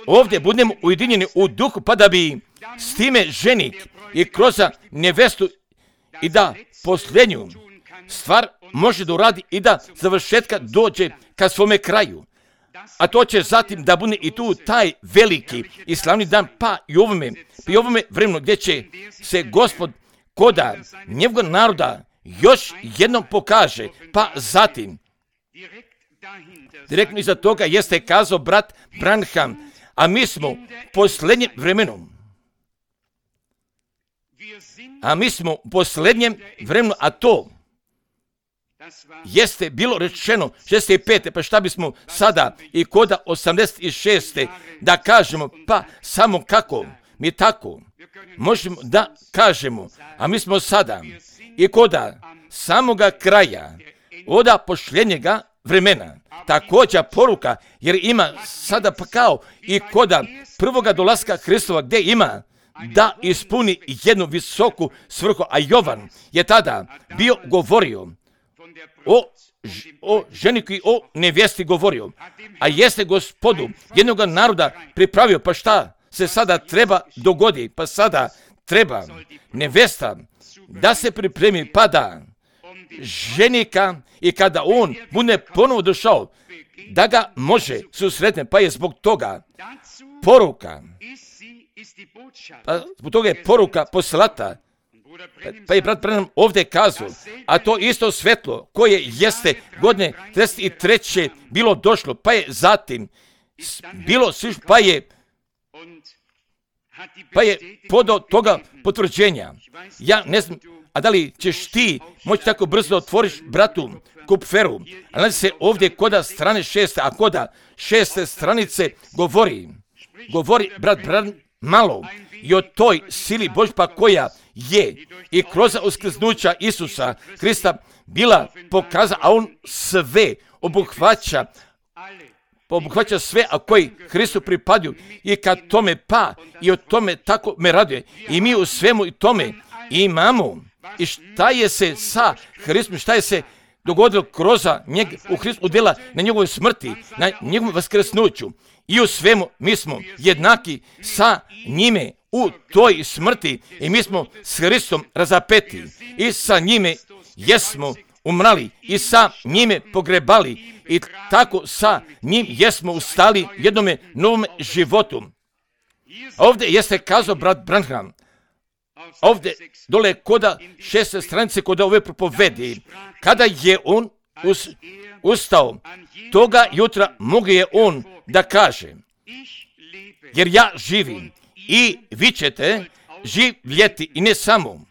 ovdje budemo ujedinjeni u duhu, pa da bi s time ženik i kroz nevjestu i da posljednju stvar može da uradi i da završetka dođe ka svome kraju. A to će zatim da bude i tu taj veliki i slavni dan, pa i ovome, pa i ovome vremenu gdje će se Gospod koda njegovog naroda još jednom pokaže, pa zatim direktno iza toga jeste kazao brat Branham, a mi smo u posljednjem vremenu, a mi smo u posljednjem vremenu, a to jeste bilo rečeno šezdeset pete, pa šta bismo sada i koda osamdeset šeste da kažemo, pa samo kako mi tako možemo da kažemo, a mi smo sada i koda samoga kraja, oda posljednjega vremena, također poruka, jer ima sada pa kao i koda prvoga dolaska Hristova gdje ima da ispuni jednu visoku svrhu, a Jovan je tada bio govorio o, o ženiku i o nevjesti govorio, a jeste Gospodu jednog naroda pripravio, pa šta se sada treba dogodi, pa sada treba nevjesta da se pripremi, pa da ženika i kada on bude ponovo došao, da ga može susretne, pa je zbog toga poruka, pa zbog toga je poruka poslata, pa je brat Branham ovdje kazao, a to isto svetlo koje jeste godine trideset treće bilo došlo, pa je zatim bilo sviš, pa je pa je podao toga potvrđenja. Ja ne znam, a da li ćeš ti moći tako brzo da otvoriš bratu Kupferu, a nalazi se ovdje koda strane šeste, a koda šeste stranice govori, govori brat Branham malo i o toj sili Božja koja je i kroz uskrsnuća Isusa Krista bila pokazana, a on sve obuhvaća, obuhvaća sve, a koji Hristu pripadaju i kad tome pa i o tome tako me raduje. I mi u svemu i tome imamo. I šta je se sa Hristom, šta je se dogodilo kroz njeg u Hristu udjela na njegovoj smrti, na njegovom vaskrsnuću. I u svemu mi smo jednaki sa njime u toj smrti i mi smo s Hristom razapeti i sa njime jesmo umrali i sa njime pogrebali i tako sa njim jesmo ustali jednome novom životu. Ovdje jeste kazao brat Branham, ovdje dole koda šeste stranice koda ove propovedi, kada je on us, ustao, toga jutra mogu je on da kaže, jer ja živim i vi ćete živjeti, i ne samo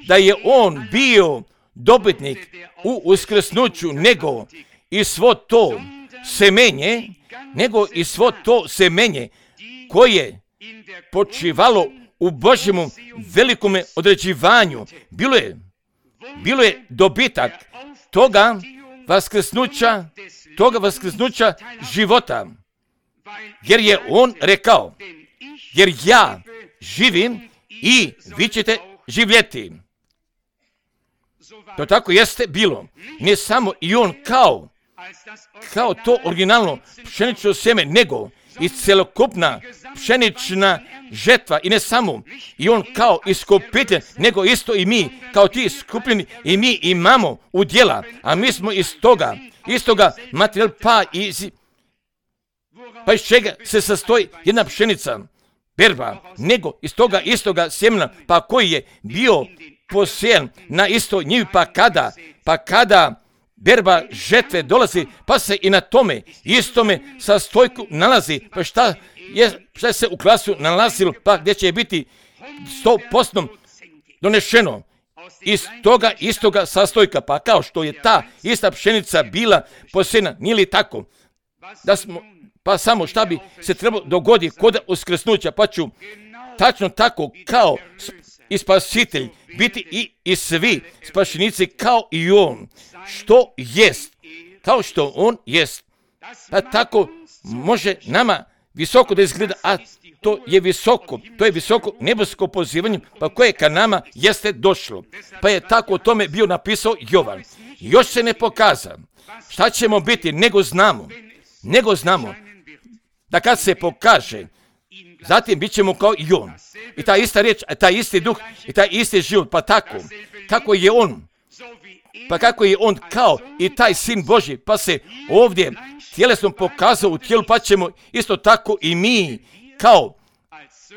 da je on bio dobitnik u uskrsnuću, nego i svo to semenje, nego i svo to semenje koje počivalo u Božjemu velikome određivanju. Bilo je, bilo je dobitak toga vaskrsnuća, toga vaskrsnuća života. Jer je on rekao, jer ja živim i vi ćete živjeti. To tako jeste bilo. Ne samo i on kao, kao to originalno pšenično sjeme, nego i celokupna pšenična žetva, i ne samo i on kao iskupitelj, nego isto i mi kao ti iskupljeni, i mi imamo udjela, a mi smo iz toga, iz toga materijal, pa iz, pa iz čega se sastoji jedna pšenica, berba, nego iz toga istoga sjemena, pa koji je bio posijan na istoj njivi, pa kada, pa kada berba žetve dolazi, pa se i na tome istome sastojku nalazi, pa šta je, šta se u klasu nalazilo, pa gdje će biti sto posto donešeno iz toga istoga sastojka, pa kao što je ta ista pšenica bila posijena, nije li tako? Da smo, pa samo šta bi se trebalo dogoditi kod uskrsnuća, pa ću tačno tako kao i spasitelj biti i, i svi spašenici kao i on, što jest, kao što on jest. Pa tako može nama visoko da izgleda, a to je visoko, to je visoko nebesko pozivanje, pa koje ka nama jeste došlo. Pa je tako o tome bio napisao Jovan. Još se ne pokaza šta ćemo biti, nego znamo, nego znamo da kad se pokaže, zatim bit ćemo kao i on. I ta ista riječ, taj isti duh i taj isti život, pa tako, kako je on, pa kako je on kao i taj sin Božji, pa se ovdje tjelesno pokazao u tijelu, pa ćemo isto tako i mi kao,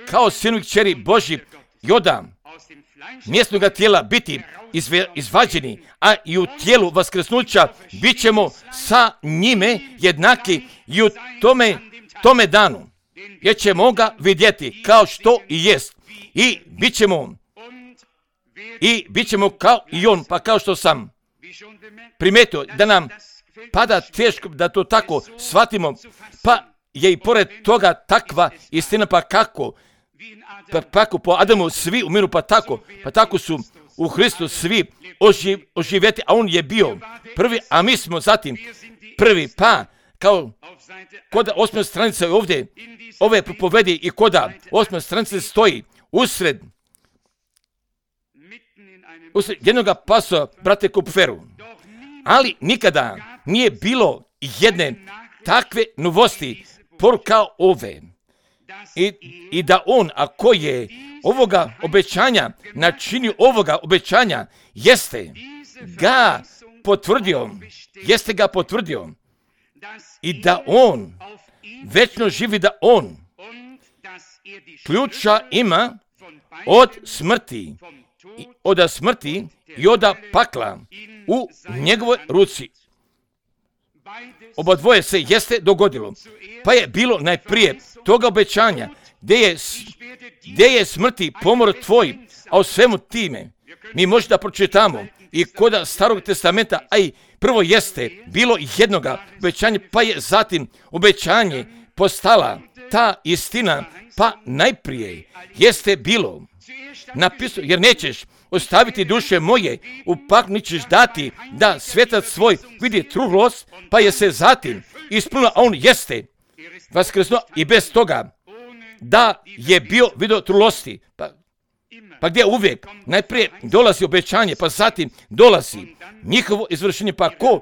kao sinu i kćeri Božji Joda mjesnoga tijela biti izve, izvađeni, a i u tijelu vaskrsnuća bit ćemo sa njime jednaki i u tome, tome danu, jer ćemo ga vidjeti kao što i jest i bit ćemo i bit ćemo kao i on, pa kao što sam primetio da nam pada teško da to tako shvatimo, pa je i pored toga takva istina, pa kako, pa kako po Adamu svi umiru, pa tako, pa tako su u Hristu svi oživ, oživjeti, a on je bio prvi, a mi smo zatim prvi, pa kao kod osme stranice ovdje, ove propovedi i kod osme stranice stoji usred, usred jednoga pasova, brate Kupferu, ali nikada nije bilo jedne takve novosti kao ove. I, I da on, ako je ovoga obećanja, načinio ovoga obećanja, jeste ga potvrdio, jeste ga potvrdio i da on večno živi, da on ključa ima od smrti, od smrti i od pakla u njegovoj ruci. Oba dvoje se jeste dogodilo, pa je bilo najprije toga obećanja, gdje je, gdje je smrti pomor tvoj, a o svemu time mi možemo da pročitamo i kod Starog testamenta, a i prvo jeste bilo jednoga obećanja, pa je zatim obećanje postala ta istina, pa najprije jeste bilo napisano, jer nećeš ostaviti duše moje, u paklu ćeš dati da svetac svoj vidi truhlost, pa je se zatim ispunila, a on jeste vaskrsnuo i bez toga da je bio vidio truhlosti. Pa, pa gdje uvijek najprije dolazi obećanje, pa zatim dolazi njihovo izvršenje, pa ko,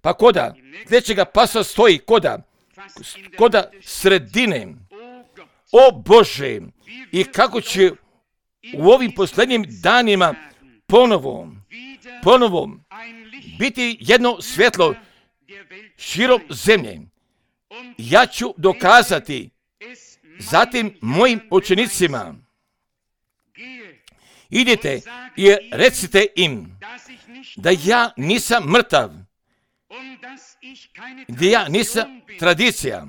pa koda trećega pasa stoji koda, koda sredine. O Bože, i kako će u ovim posljednjim danima ponovo, ponovo biti jedno svjetlo širom zemlje. Ja ću dokazati zatim mojim učenicima. Idite i recite im da ja nisam mrtav, da ja nisam tradicija,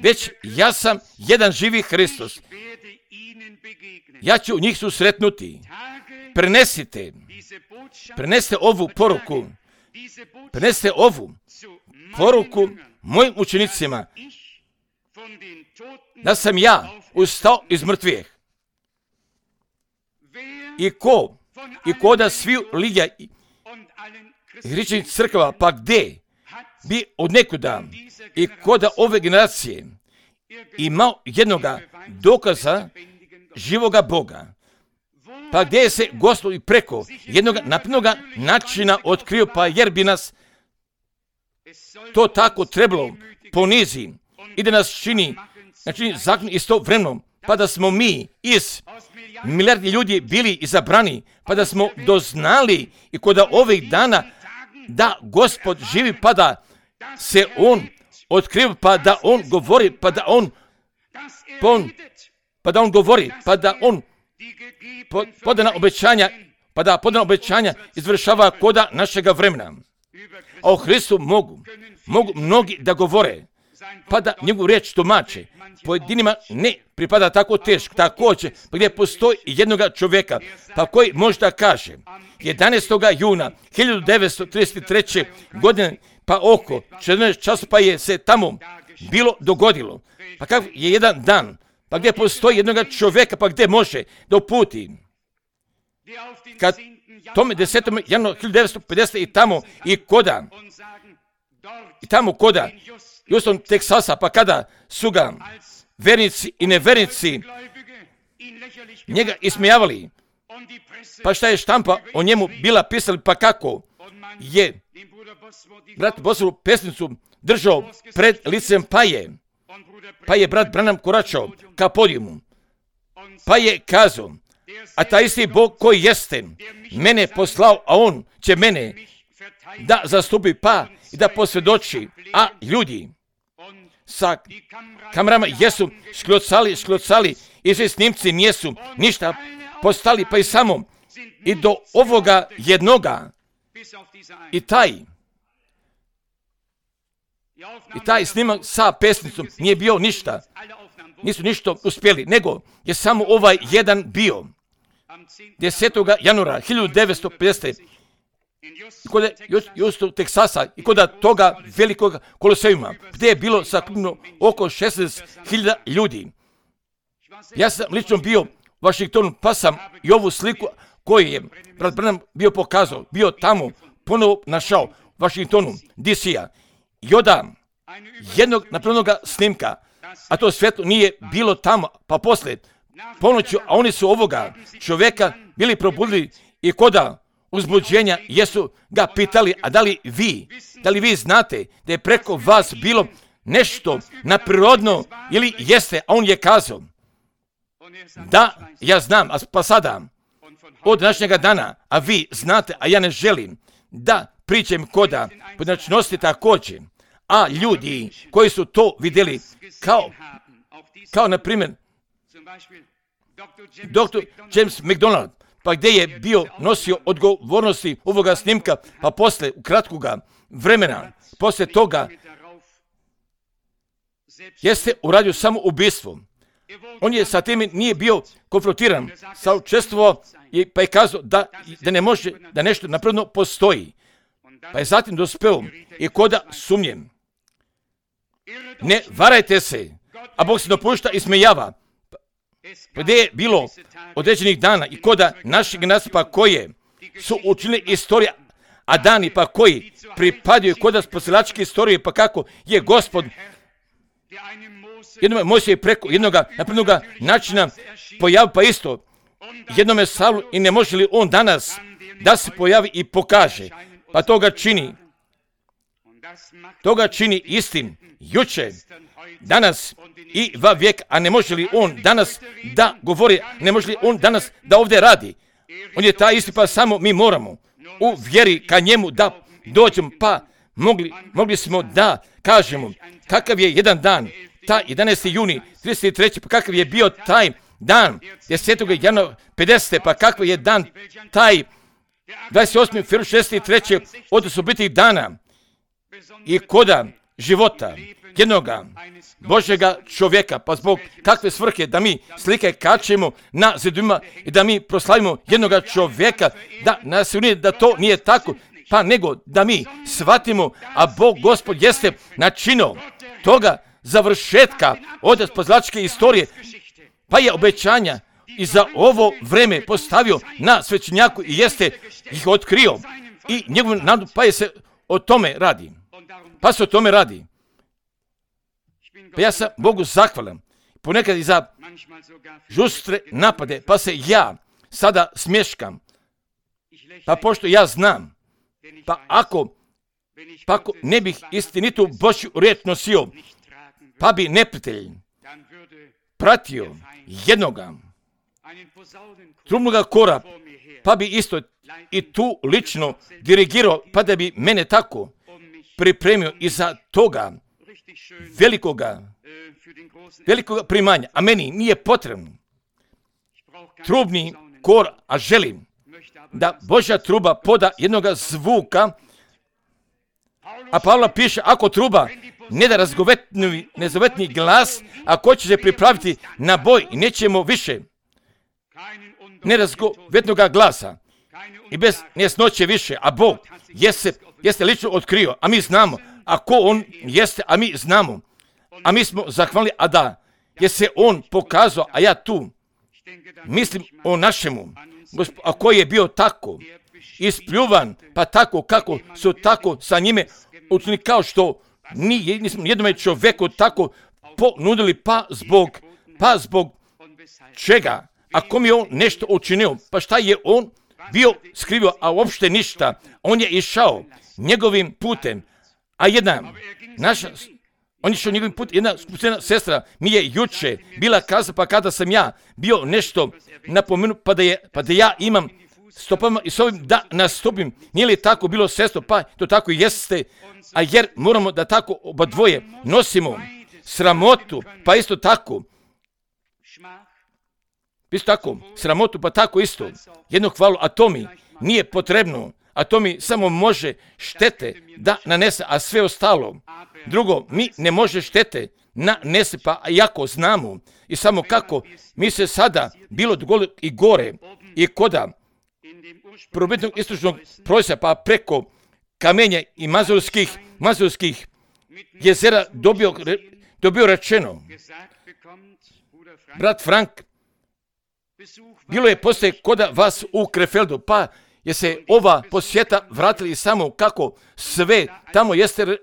već ja sam jedan živi Hristos. Ja ću njih susretnuti. Prenesite, prenesite ovu poruku, prenesite ovu poruku mojim učenicima, da sam ja ustao iz mrtvih. I ko, i ko da svi lidja i hrišćanih crkava, pa gdje bi od nekuda i koda ove generacije imao jednoga dokaza živoga Boga, pa gdje se Gospod i preko jednog naprednoga načina otkrio, pa jer bi nas to tako trebalo ponizi i da nas čini, znači zakon istovremeno, pa da smo mi iz milijardi ljudi bili izabrani, pa da smo doznali i kod ovih dana da Gospod živi, pa da se on otkriva, pa da on govori, pa da on, pa, on, pa da on govori, pa da on po, podana obećanja, pa da podana obećanja izvršava koda našega vremena. A o Hristu mogu, mogu mnogi da govore, pa da njegovu riječ tumače. Pojedinima ne pripada tako teško, također, pa gdje postoji jednoga čovjeka, pa koji možda kaže, jedanaestog juna hiljadu devetsto trideset treće. godine, pa oko četrnaest časa, pa je se tamo bilo dogodilo. Pa kakav je jedan dan, pa gdje postoji jednoga čovjeka, pa gdje može da uputi. Kad tome desetom januara hiljadu devetsto pedesete. i tamo i koda i tamo koda Houston, Teksasa, pa kada su ga vernici i nevernici njega ismijavali, pa šta je štampa o njemu bila pisali, pa kako je brat Bosvoru pesnicu držao pred licem, pa je, pa je brat Branham koračao ka podijumu, pa je kazao, a taj isti Bog koji jeste mene poslao, a on će mene da zastupi pa i da posvjedoči, a ljudi sa kamerama jesu šklocali, šklocali i svi snimci nijesu ništa postali, pa i samo i do ovoga jednoga i taj i taj snimak sa pesnicom nije bio ništa, nisu ništa uspjeli, nego je samo ovaj jedan bio desetog januara hiljadu devetsto pedesete kod Houston, Teksasa i kod toga velikog koloseuma, gdje je bilo sakupno oko šesnaest hiljada ljudi. Ja sam lično bio u Washingtonu, pa sam i ovu sliku koju je brat Branham bio pokazao, bio tamo, ponovo našao u Washingtonu, D C-a, i oda jednog napravljenog snimka, a to svjetlo nije bilo tamo, pa poslije ponoću, a oni su ovoga čovjeka bili probudili i koda uzbuđenja jesu ga pitali, a da li vi, da li vi znate da je preko vas bilo nešto naprirodno ili jeste, a on je kazao, da, ja znam, a pa sada, od današnjega dana, a vi znate, a ja ne želim da pričam koda pojedinačnosti također, a ljudi koji su to vidjeli, kao, kao na primjer, doktor James McDonald, pa gdje je bio nosio odgovornosti ovoga snimka, pa poslije u kratkoga vremena, poslije toga, jeste uradio samo ubijstvo. On je sa tim nije bio konfrontiran, sa učestvovao i pa je kazao da, da ne može, da nešto napravno postoji. Pa je zatim dospeo i koda sumnjem. Ne varajte se, a Bog se dopušta i smejava. Pa gdje je bilo određenih dana i koda naših nasipa koje su učinili istorija, a dani pa koji pripadaju koda spasilačke istorije, pa kako je Gospod jednome Mojsije preko jednoga napravljenoga načina pojavi, pa isto jednome Saulu, i ne može li on danas da se pojavi i pokaže, pa toga čini toga čini istim juče, danas i va vijek, a ne može li on danas da govori, ne može li on danas da ovdje radi. On je taj isti, pa samo mi moramo u vjeri ka njemu da dođemo, pa mogli, mogli smo da kažemo kakav je jedan dan, taj jedanaesti juni trideset treće pa kakav je bio taj dan desetog januara pedesete pa kakav je dan taj dvadeset osmi februar šezdeset treće od osobitih dana i koda života jednoga Božjega čovjeka, pa zbog kakve svrhe da mi slike kačemo na zidima i da mi proslavimo jednoga čovjeka, da nas unije da to nije tako, pa nego da mi shvatimo, a Bog Gospod jeste načinio toga završetka od spasilačke istorije, pa je obećanja i za ovo vreme postavio na svećenjaku i jeste ih otkrio i njegov nadu, pa je se o tome radi. Pa se o tome radi. Pa ja sam Bogu zahvalan, ponekad i za žustre napade, pa se ja sada smješkam. Pa pošto ja znam, pa ako, pa ako ne bih istinitu Božju riječ nosio, pa bi neprijatelj pratio jednoga trubnoga kora, pa bi isto i tu lično dirigirao, pa da bi mene tako pripremio i za toga velikoga, velikoga primanja, a meni nije potrebno trubni kor, a želim da Božja truba poda jednoga zvuka, a Pavla piše, ako truba ne da razgovetni, nezavetni glas, a ko će se pripraviti na boj i nećemo više nerazgovetnoga glasa i bez nesnoće više, a Bog jeste, jeste lično otkrio, a mi znamo, a ko on jeste, a mi znamo, a mi smo zahvalni, a da je se on pokazao, a ja tu mislim o našemu, a koji je bio tako ispljuvan, pa tako kako su tako sa njime učinili kao što ni, nismo jednome čovjeku tako ponudili, pa zbog, pa zbog čega? Ako mi je on nešto učinio, pa šta je on bio skrivio, a uopšte ništa. On je išao njegovim putem, a jedna naša, on je išao njegovim putem, jedna skupština sestra mi je juče bila kazala, pa kada sam ja bio nešto napomenu, pa da, je, pa da ja imam stopama i s ovim da nastupim, nije li tako bilo, sestro? Pa to tako jeste, a jer moramo da tako oba dvoje nosimo sramotu, pa isto tako, isto tako, sramotu, pa tako isto, jednu hvalu, a to mi nije potrebno, a to mi samo može štete da nanese, a sve ostalo, drugo, mi ne može štete nanese, pa jako znamo i samo kako mi se sada bilo dogodi i gore i koda prvobitnog istočnog prosjeka, pa preko kamenja i mazurskih, mazurskih jezera dobio, dobio rečeno, brat Frank, bilo je poslije koda vas u Krefeldu, pa je se ova posjeta vratili samo kako sve tamo jeste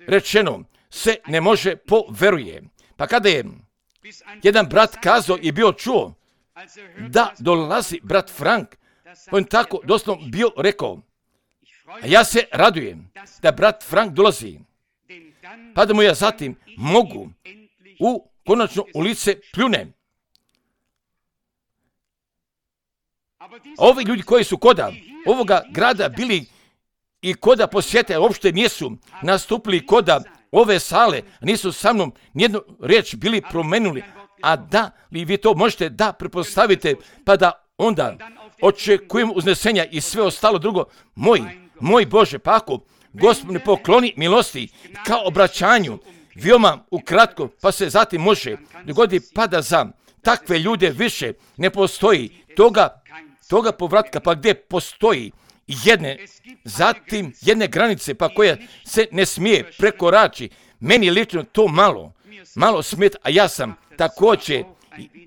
rečeno, se ne može poveruje. Pa kada je jedan brat kazao i bio čuo da dolazi brat Frank, on tako doslovno bio rekao, a ja se radujem da brat Frank dolazi, pa da mu ja zatim mogu u konačno u lice pljunem. A ovi ljudi koji su koda ovoga grada bili i koda posjete, uopšte nisu nastupili koda ove sale, nisu sa mnom nijednu riječ bili promenuli, a da li vi to možete da prepostavite, pa da onda očekujemo uznesenja i sve ostalo drugo, moj, moj Bože, pa ako Gospod ne pokloni milosti kao obraćanju, veoma ukratko, pa se zatim može dogoditi, pa da za takve ljude više ne postoji toga, toga povratka, pa gdje postoji jedne, zatim jedne granice, pa koja se ne smije prekorači. Meni lično to malo, malo smeta, a ja sam također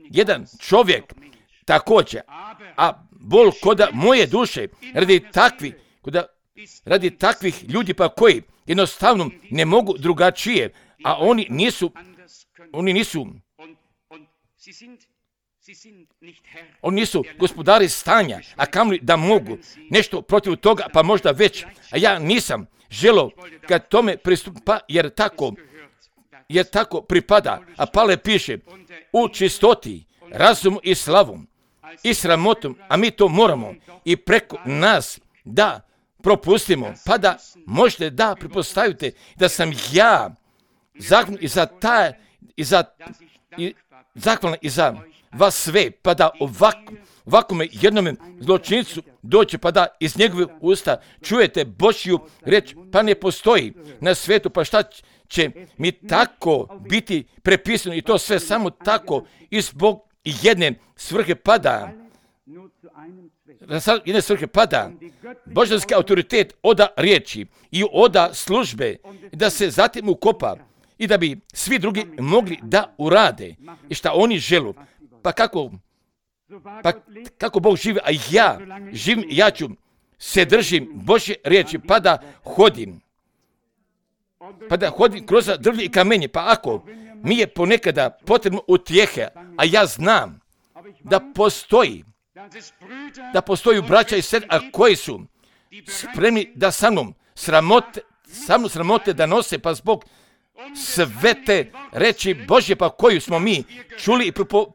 jedan čovjek, također, a bol koda moje duše, radi takvi, koda, radi takvih ljudi pa koji jednostavno ne mogu drugačije, a oni nisu, oni nisu, oni nisu gospodari stanja, a kamoli da mogu nešto protiv toga, pa možda već, a ja nisam želio kad tome pristupa, jer tako, jer tako pripada, a Pavle piše, u čistoti, razumu i slavom i sramotom, a mi to moramo i preko nas da propustimo, pa da možete da pretpostavite da sam ja zahvalan i za ta, i za, i, zahvalan i za vas sve, pa da ovako, ovakome jednome zločincu doće, pa da iz njegovih usta čujete Božju reč, pa ne postoji na svijetu, pa šta će mi tako biti prepisano i to sve samo tako i zbog jedne svrhe pada, jedne svrhe pada, božanski autoritet oda riječi i oda službe, da se zatim ukopa i da bi svi drugi mogli da urade i šta oni želu. Pa kako, pa kako Bog živi, a ja živim, ja ću se držim Božje riječi, pa da hodim, pa da hodim kroz drvlje i kamenje, pa ako mi je ponekada potrebno utjehe, a ja znam da postoji, da postoji braća i sestre, a koji su spremni da sa mnom sramote, sa mnom sramote da nose, pa zbog sve te reči Božje, pa koju smo mi čuli i, propo,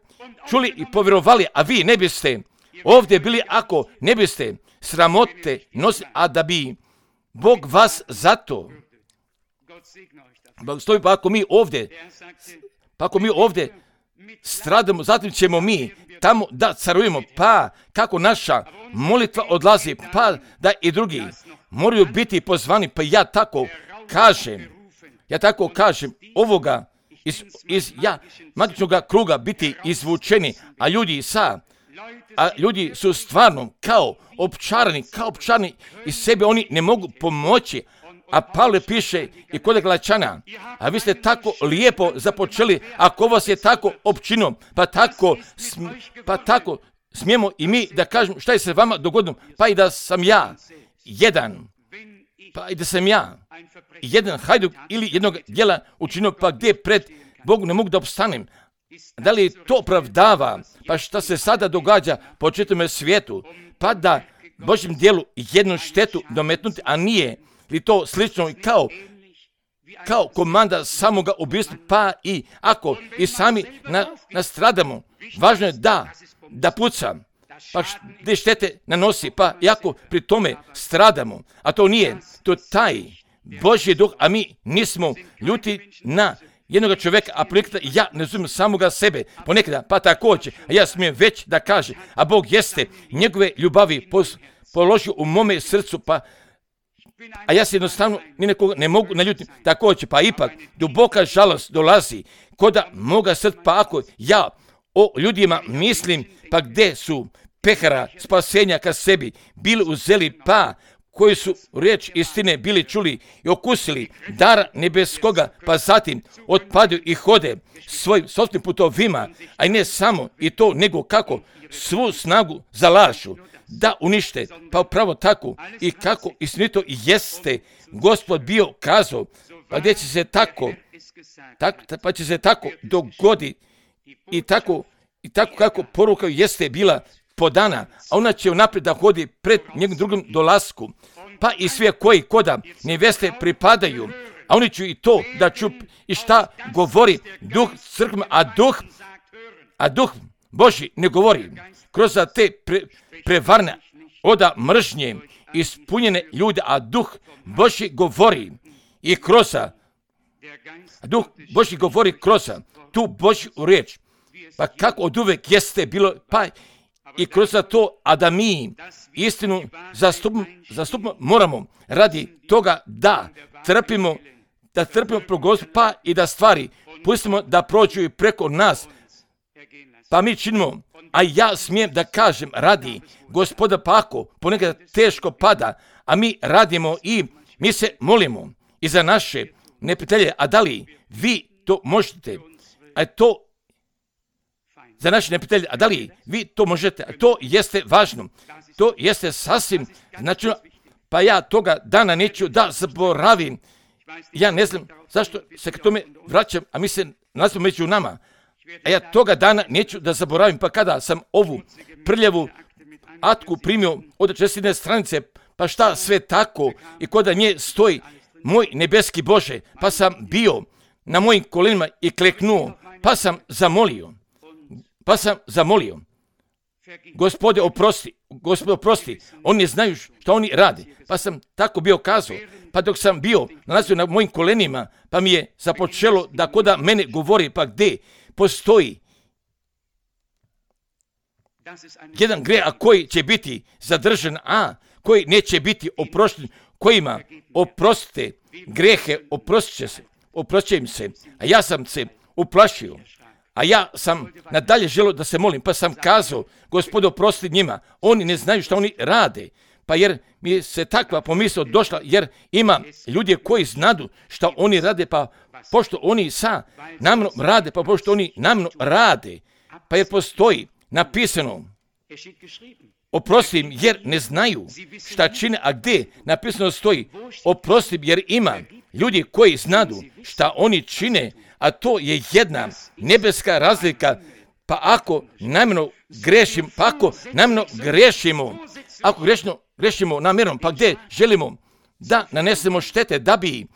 čuli i povjerovali, a vi ne biste ovdje bili ako ne biste sramote nosili, a da bi Bog vas zato blagoslovi, pa ako mi ovdje, pa ako mi ovdje stradamo, zatim ćemo mi tamo da carujemo, pa kako naša molitva odlazi, pa da i drugi moraju biti pozvani, pa ja tako kažem, ja tako kažem, ovoga iz, iz ja, magičnog kruga biti izvučeni, a ljudi sa, a ljudi su stvarno kao opčarani, kao opčarani i sebe oni ne mogu pomoći, a Pavle piše i kod Galačana, a vi ste tako lijepo započeli, ako vas je tako opčinio, pa tako, sm, pa tako smijemo i mi da kažemo šta je se vama dogodilo, pa i da sam ja jedan, pa i da sam ja jedan hajduk ili jednog djela učinio, pa gdje pred Bogom ne mogu da opstanem. Da li to opravdava? Pa šta se sada događa po čitavom svijetu? Pa da Božjem djelu jednu štetu dometnuti, a nije li to slično kao kao komanda samoga ubijstva, pa i ako i sami na, nastradamo, važno je da, da puca, pa gdje štete nanosi, pa i ako pri tome stradamo, a to nije, to taj Božji duh, a mi nismo ljuti na jednog čovjeka, a ponekada ja ne razumijem samoga sebe, ponekada, pa također, a ja smijem već da kaže, a Bog jeste njegove ljubavi pos, položio u mome srcu, pa a ja se jednostavno ni nekoga ne mogu naljutiti. Također, pa ipak, duboka žalost dolazi koda moga srca, pa ako ja o ljudima mislim, pa gdje su pehara spasenja ka sebi bili uzeli, pa koji su riječ istine bili čuli i okusili dara nebeskoga, pa zatim otpadaju i hode svojim sopstvenim putovima, a i ne samo i to, nego kako svu snagu zalažu da unište, pa upravo tako i kako istinito jeste Gospod bio kazao, pa gdje će se tako, tako pa će se tako dogodi i tako, i tako kako poruka jeste bila podana, a ona će unaprijed da hodi pred njegovim drugom dolasku, pa i sve koji koda neveste pripadaju, a oni će i to da čup i šta govori duh crkve, a duh, a duh Božji ne govori kroz te pre, prevarne oda mržnje ispunjene ljude, a duh Božji govori i kroz, a duh Božji govori kroz tu Božju riječ, pa kako od uvek jeste bilo, pa i kroz to, a da mi istinu zastupimo, zastupimo moramo radi toga da trpimo, da trpimo progozbu, pa i da stvari pustimo da prođu i preko nas, pa mi činimo, a ja smijem da kažem radi Gospoda, pa ako ponekad teško pada, a mi radimo i mi se molimo i za naše neprijatelje, a da li vi to možete, a to za naše neprijatelje, a da li vi to možete, a to jeste važno, to jeste sasvim značajno, pa ja toga dana neću da zaboravim, ja ne znam zašto se k tome vraćam, a mi se nalazimo među nama, a ja toga dana neću da zaboravim, pa kada sam ovu prljavu atku primio od čestine stranice, pa šta sve tako i koda nje stoji moj nebeski Bože, pa sam bio na mojim kolenima i kleknuo, pa sam zamolio, pa sam zamolio, Gospode oprosti, Gospode oprosti, oni ne znaju što oni rade, pa sam tako bio kazao, pa dok sam bio nalazio na mojim kolenima, pa mi je započelo da koda mene govori, pa gdje postoji jedan grijeh, a koji će biti zadržan, a koji neće biti oprošten, kojima oprostite grehe, oprostit će se, oprostit im se, a ja sam se uplašio, a ja sam nadalje želio da se molim, pa sam kazao, Gospodo oprosti njima, oni ne znaju što oni rade, pa jer mi se takva pomisao došla, jer ima ljudi koji znadu što oni rade, pa pošto oni sa namno rade, pa pošto oni namno rade, pa jer postoji napisano, oprosti im jer ne znaju šta čine, a gdje napisano stoji, oprosti im jer ima ljudi koji znadu šta oni čine, a to je jedna nebeska razlika, pa ako namjerno grešim, pa ako namjerno grešimo, ako grešno, grešimo namjerno, pa gdje želimo da nanesemo štete, da bi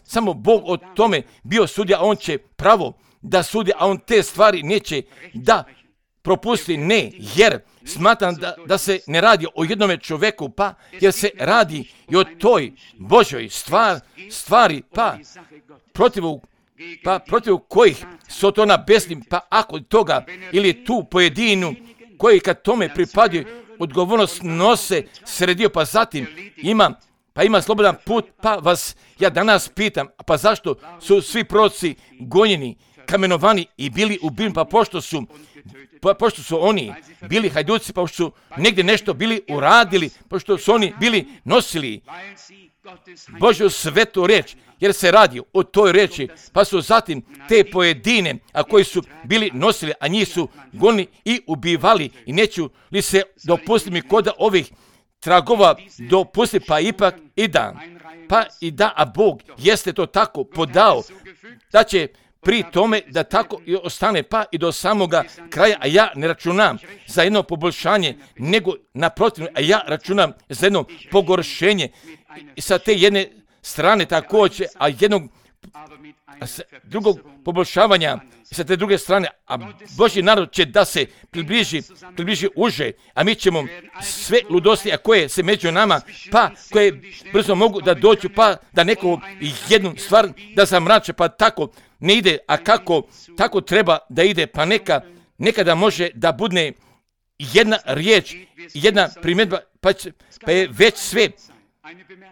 samo Bog o tome bio sudija, a on će pravo da sudi, a on te stvari neće da propusti, ne, jer smatram da, da se ne radi o jednome čovjeku, pa jer se radi i o toj Božoj stvar, stvari, pa protiv, pa protiv kojih su to na besnim, pa ako toga ili tu pojedinu koji kad tome pripadaju odgovornost nose sredio, pa zatim ima, pa ima slobodan put, pa vas ja danas pitam, pa zašto su svi proroci gonjeni, kamenovani i bili ubijeni, pa pošto su Pa pošto su oni bili hajduci, pošto su negdje nešto bili uradili, pošto su oni bili nosili Božju svetu riječ, jer se radi o toj riječi, pa su zatim te pojedine, a koji su bili nosili, a njih su gonili i ubivali, i neću li se dopustiti mi koda ovih tragova dopusti, pa ipak i da. Pa i da, a Bog jeste to tako podao, da će pri tome da tako i ostane, pa i do samoga kraja, a ja ne računam za jedno poboljšanje, nego naprotiv, a ja računam za jedno pogoršenje i sa te jedne strane također, a jednog a sa drugog poboljšavanja i sa te druge strane, a Božji narod će da se približi, približi uže, a mi ćemo sve ludosti, a koje se među nama, pa koje brzo mogu da dođu, pa da neko jednu stvar da zamrače, pa tako ne ide, a kako tako treba da ide, pa neka, nekada može da budne jedna riječ, jedna primjedba, pa, će, pa je već sve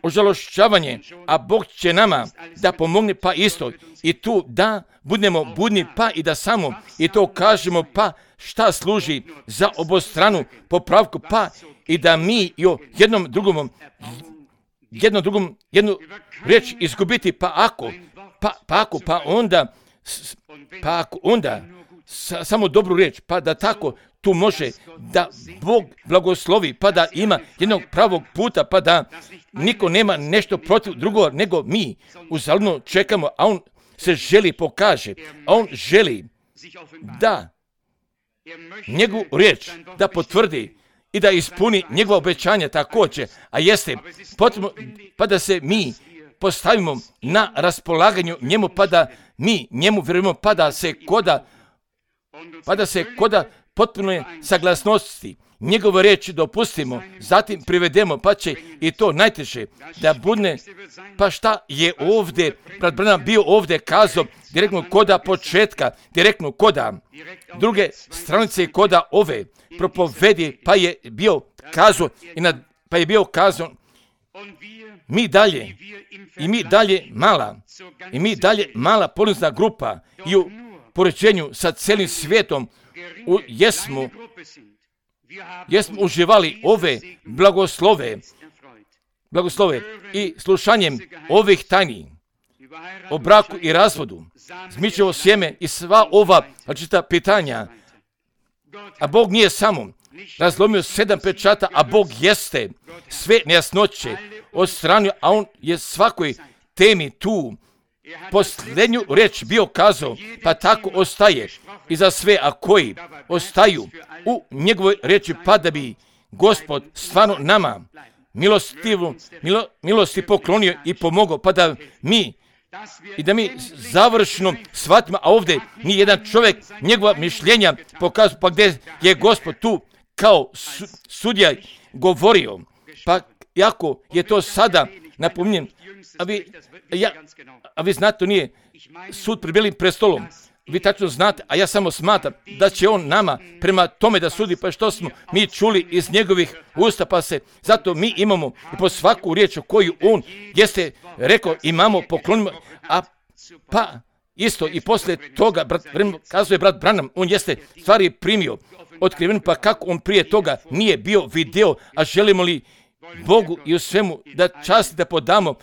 ožalošćavanje, a Bog će nama da pomogne, pa isto i tu da budemo budni, pa i da samo i to kažemo, pa šta služi za obostranu popravku, pa i da mi i o jednom drugom jednom drugom jednu riječ izgubiti, pa ako pa, pa ako, pa onda pa ako onda sa, samo dobru riječ, pa da tako tu može da Bog blagoslovi, pa da ima jednog pravog puta, pa da niko nema nešto protiv drugog, nego mi uzaludno čekamo, a on se želi pokaže, a on želi da njegovu riječ da potvrdi i da ispuni njegova obećanja također, a jeste potrebno, pa da se mi postavimo na raspolaganju njemu, pa da mi njemu vjerujemo, pa da se koda pa da se koda potpuno saglasnosti njegove riječi dopustimo, zatim privedemo, pa će i to najteže da budne, pa šta je ovdje, brat Branham bio ovdje kazao, direktno koda početka, direktno koda druge stranice koda ove propovedi, pa je bio kazao, i na, pa je bio kazao, mi dalje, i mi dalje mala, i mi dalje mala polizna grupa i u poređenju sa cijelim svijetom u, jesmo, jesmo uživali ove blagoslove, blagoslove i slušanjem ovih tajni o braku i razvodu, zmičevo sjeme i sva ova čita pitanja. A Bog nije samo razlomio sedam pečata, a Bog jeste sve nejasnoće odstranio, a on je svakoj temi tu posljednju riječ bio kazao, pa tako ostaje i za sve, a koji ostaju u njegovoj riječi, pa da bi Gospod stvarno nama milostivu, milo, milosti poklonio i pomogao, pa da mi i da mi završno shvatimo, a ovdje ni jedan čovjek njegova mišljenja pokazuje, pa gdje je Gospod tu kao su, sudija govorio, pa jako je to sada napominjem, a vi, ja, a vi znate, to nije sud pred Belim prestolom, vi tačno znate, a ja samo smatram da će on nama prema tome da sudi, pa što smo mi čuli iz njegovih usta, pa se zato mi imamo i po svaku riječ koju on jeste rekao, imamo, poklonimo, a pa isto i poslije toga, brat, kazuje brat Branham, on jeste stvari primio, otkriven, pa kako on prije toga nije bio video, a želimo li Bogu i u svemu da čast da podamo,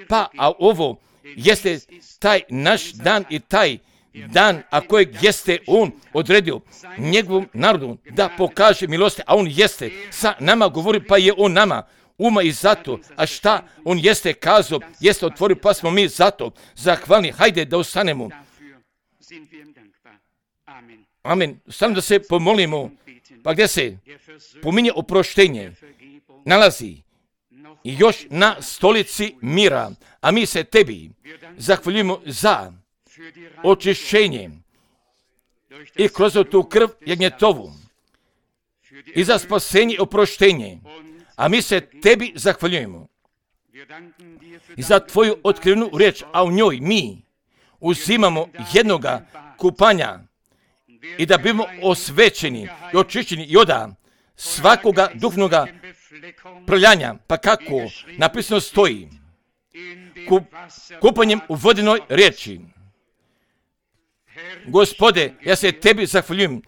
pa a ovo jeste taj naš dan i taj dan, a kojeg jeste on odredio njegovom narodu da pokaže milosti, a on jeste sa nama govori, pa je on nama uma i zato, a šta on jeste kazao, jeste otvorio, pa smo mi zato zahvalni, hajde da ostanemo. Amen. Samo da se pomolimo, pa gdje se pominje oproštenje nalazi i još na stolici mira, a mi se tebi zahvaljujemo za očišćenje i kroz tu krv jagnjetovu i za spasenje i oproštenje, a mi se tebi zahvaljujemo i za tvoju otkrivenu riječ, a u njoj mi uzimamo jednoga kupanja i da bimo osvećeni i očišćeni i oda svakoga duhovnoga prljanja, pa kako napisano stoji, Kup, kupanjem u vodenoj riječi. Gospode, ja se tebi zahvaljujem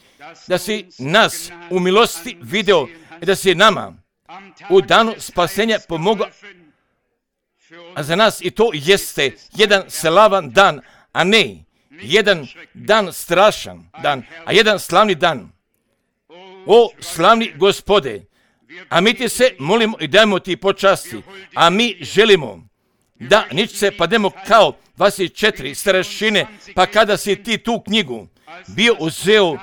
da si nas u milosti video i da si nama u danu spasenja pomogao, a za nas i to jeste jedan slavan dan, a ne jedan dan strašan dan, a jedan slavni dan. O slavni Gospode, A mi ti se molimo i dajemo ti počasti. A mi želimo da ničce pademo kao dvadeset četiri starešine, pa kada si ti tu knjigu bio uzeo,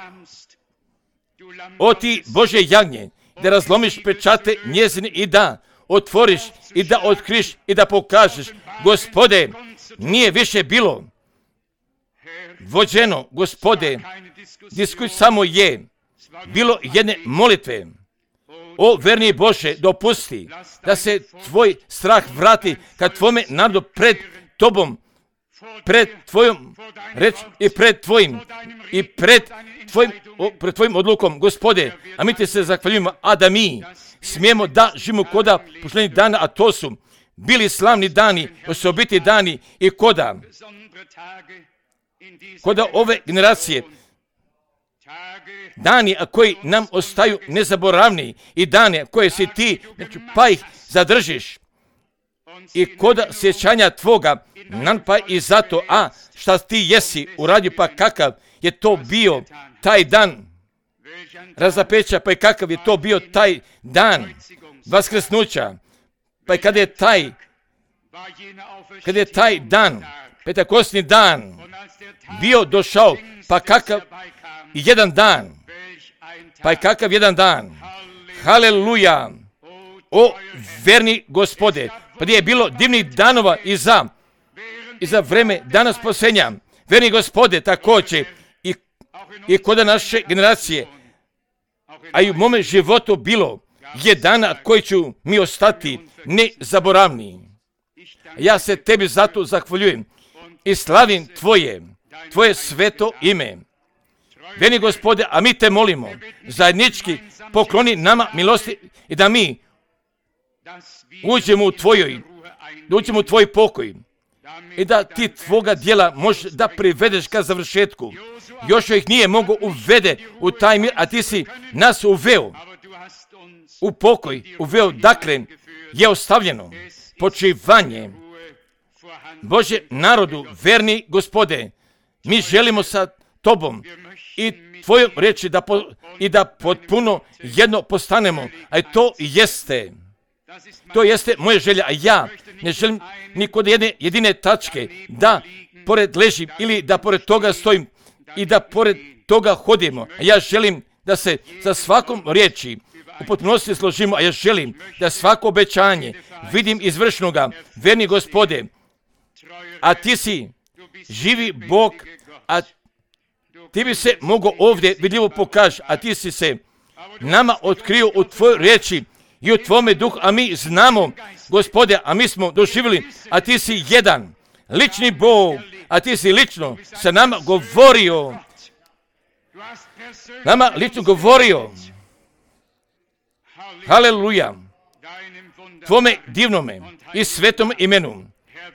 o ti Bože jagnje, da razlomiš pečate njezine i da otvoriš i da otkriš i da pokažeš, Gospode, nije više bilo vođeno, Gospode, diskusija samo je bilo jedne molitve. O verni Bože, dopusti da se tvoj strah vrati kad tvome narodu pred tobom, pred tvojom reč i pred tvojim i pred tvojim, o, pred tvojim odlukom, Gospode, a mi ti se zahvaljujemo, a da mi smijemo da živimo koda pošlenih dana, a to su bili slavni dani, osobiti dani i koda, koda ove generacije, dani a koji nam ostaju nezaboravni i dane koje si ti, znači, pa ih zadržiš i koda sjećanja tvoga, nam pa i zato, a šta ti jesi uradio, pa kakav je to bio taj dan razapeća, pa i kakav je to bio taj dan vaskrsnuća, pa i kada je taj, kada je taj dan, petakosni dan bio došao, pa kakav jedan dan, pa i kakav jedan dan, haleluja, o verni Gospode, pa gdje je bilo divnih danova i za, i za vreme dana spasenja, verni Gospode, također i, i kod naše generacije, a i u mome životu bilo je dana koji ću mi ostati nezaboravni. Ja se tebi zato zahvaljujem i slavim tvoje, tvoje sveto ime. Verni Gospode, a mi te molimo, zajednički pokloni nama milosti i da mi uđemo u tvojoj, da uđemo u tvoj pokoj i da ti tvoga djela možeš da privedeš ka završetku. Još ih nije mogo uvede u taj mir, a ti si nas uveo u pokoj, uveo, dakle je ostavljeno počivanje Bože narodu, verni Gospode, mi želimo sa tobom i tvojom reći da po, i da potpuno jedno postanemo, a to jeste, to jeste moja želja, a ja ne želim ni kod jedne jedine tačke da pored ležim ili da pored toga stojim i da pored toga hodimo, a ja želim da se za svakom riječi u potpunosti složimo, a ja želim da svako obećanje vidim izvršnoga, verni Gospode, a ti si živi Bog, a ti bi se mogao ovdje vidljivo pokaži, a ti si se nama otkrio u tvojoj riječi i u tvome duhu, a mi znamo, Gospode, a mi smo doživjeli, a ti si jedan, lični Bog, a ti si lično sa nama govorio, nama lično govorio, haleluja, tvome divnome i svetome imenu,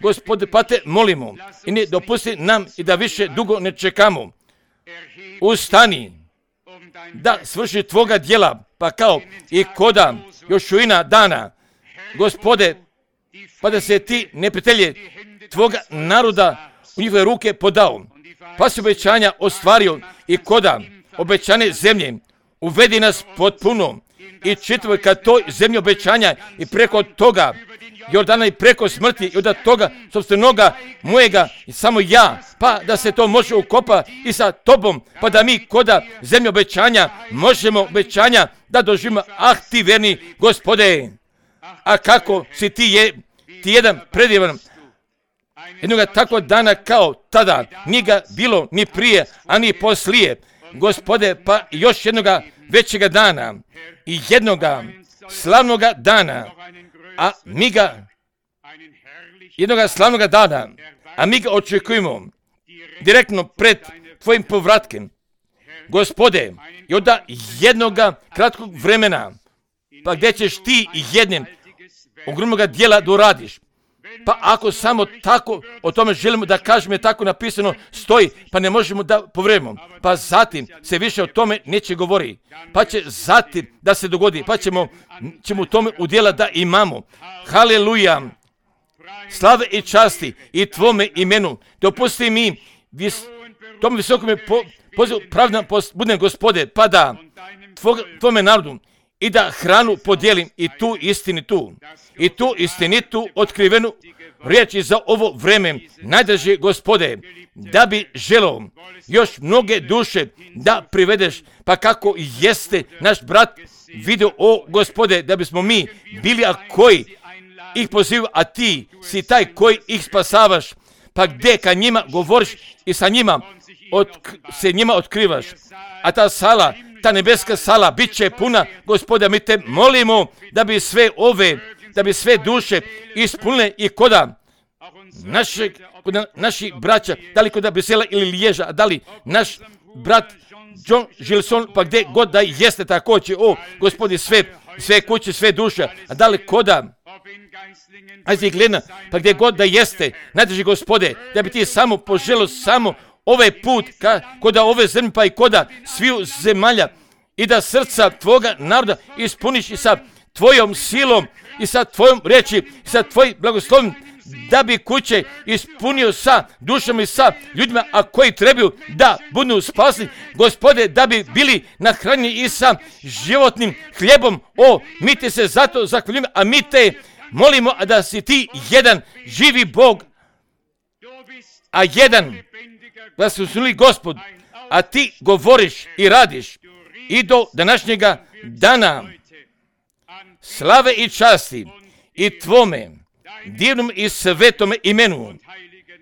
Gospode, pa te molimo i ne dopusti nam i da više dugo ne čekamo, ustani da svrši tvoga djela, pa kao i koda Jošuina dana, Gospode, pa da se ti neprijatelje tvoga naroda u njihove ruke podao, pa si obećanja ostvario i koda obećane zemlje, uvedi nas potpuno i čitavoj ka toj zemlji obećanja i preko toga Jordana i preko smrti i od toga sobstvenoga mojega i samo ja, pa da se to može ukopa i sa tobom, pa da mi koda zemlje obećanja možemo obećanja da doživimo, ah ti verni Gospode, a kako si ti je, ti jedan predivan, jednoga takvog dana kao tada, nije ga bilo ni prije, a ni poslije, Gospode, pa još jednoga većega dana i jednoga slavnoga dana, a mi ga, jednoga slavnoga dana, a mi ga očekujemo direktno pred tvojim povratkem, Gospode, i od jednoga kratkog vremena, pa gdje ćeš ti jednim ogromnoga dijela da uradiš. Pa ako samo tako o tome želimo da kažemo je tako napisano stoji, pa ne možemo da povredimo. Pa zatim se više o tome neće govori. Pa će zatim da se dogodi, pa ćemo, ćemo u tome udjela da imamo. Haleluja! Slave i časti i tvome imenu. Dopusti mi vis, tome visokome po, pozivu pravda budem Gospode, pa da tvome narodu i da hranu podijelim i tu istinitu, i tu istinitu otkrivenu riječi za ovo vreme, najdraži Gospode, da bi želio još mnoge duše da privedeš, pa kako jeste naš brat vidio, o Gospode, da bismo mi bili a koji ih poziva, a ti si taj koji ih spasavaš, pa gdje kad njima govoriš i sa njima otk- se njima otkrivaš, a ta sala, ta nebeska sala bit će puna, Gospode, mi te molimo da bi sve ove, da bi sve duše ispunile i koda našeg, kod naših braća, da li kod Brisela ili Liježa, a da li naš brat John Gilson, pa gdje god da jeste također, o Gospodi, sve, sve kuće, sve duše, a da li koda Ajde gleda, pa gdje god da jeste, najdraži Gospode, da bi ti samo poželio samo ovaj put, ka, koda ove zemlje, pa i koda sviju zemalja, i da srca tvoga naroda ispuniš i sa tvojom silom, i sa tvojom riječi, i sa tvojim blagoslovim, da bi kuće ispunio sa dušama i sa ljudima, a koji trebaju da budu spasni, Gospode, da bi bili nahranjeni i sa životnim hljebom. O, mi te se zato zahvaljujemo, a mi te molimo da si ti jedan živi Bog, a jedan da se usnuli Gospod, a ti govoriš i radiš i do današnjega dana slave i časti i tvome divnom i svetome imenu,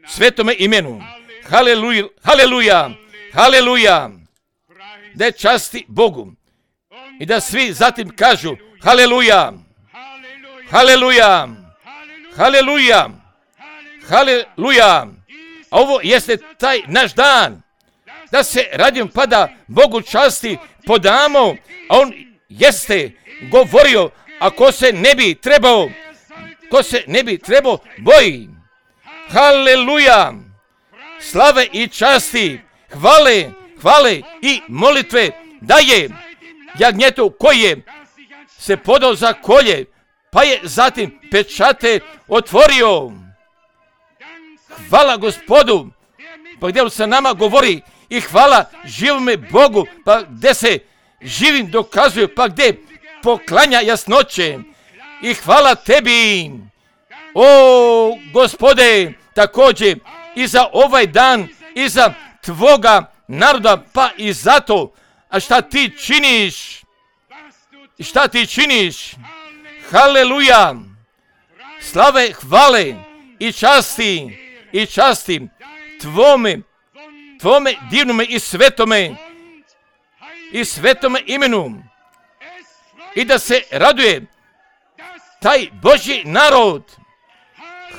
svetome imenu. Haleluja, haleluja, haleluja. Da časti Bogu i da svi zatim kažu haleluja, haleluja, haleluja, haleluja. A ovo jeste taj naš dan, da se radim pa da Bogu časti podamo, a on jeste govorio, ako se ne bi trebao, ko se ne bi trebao boji. Haleluja, slave i časti, hvale, hvale i molitve daje jagnjetu koji je se podao za kolje, pa je zatim pečate otvorio. Hvala Gospodu, pa gdje se nama govori, i hvala živome Bogu, pa gdje se živim dokazuje, pa gdje poklanja jasnoće. I hvala tebi, o Gospode, također i za ovaj dan, i za tvoga naroda, pa i zato, a šta ti činiš, šta ti činiš, haleluja, slave, hvale i časti, i časti tvome, tvome divnome i svetome, i svetome imenu, i da se raduje taj Božji narod.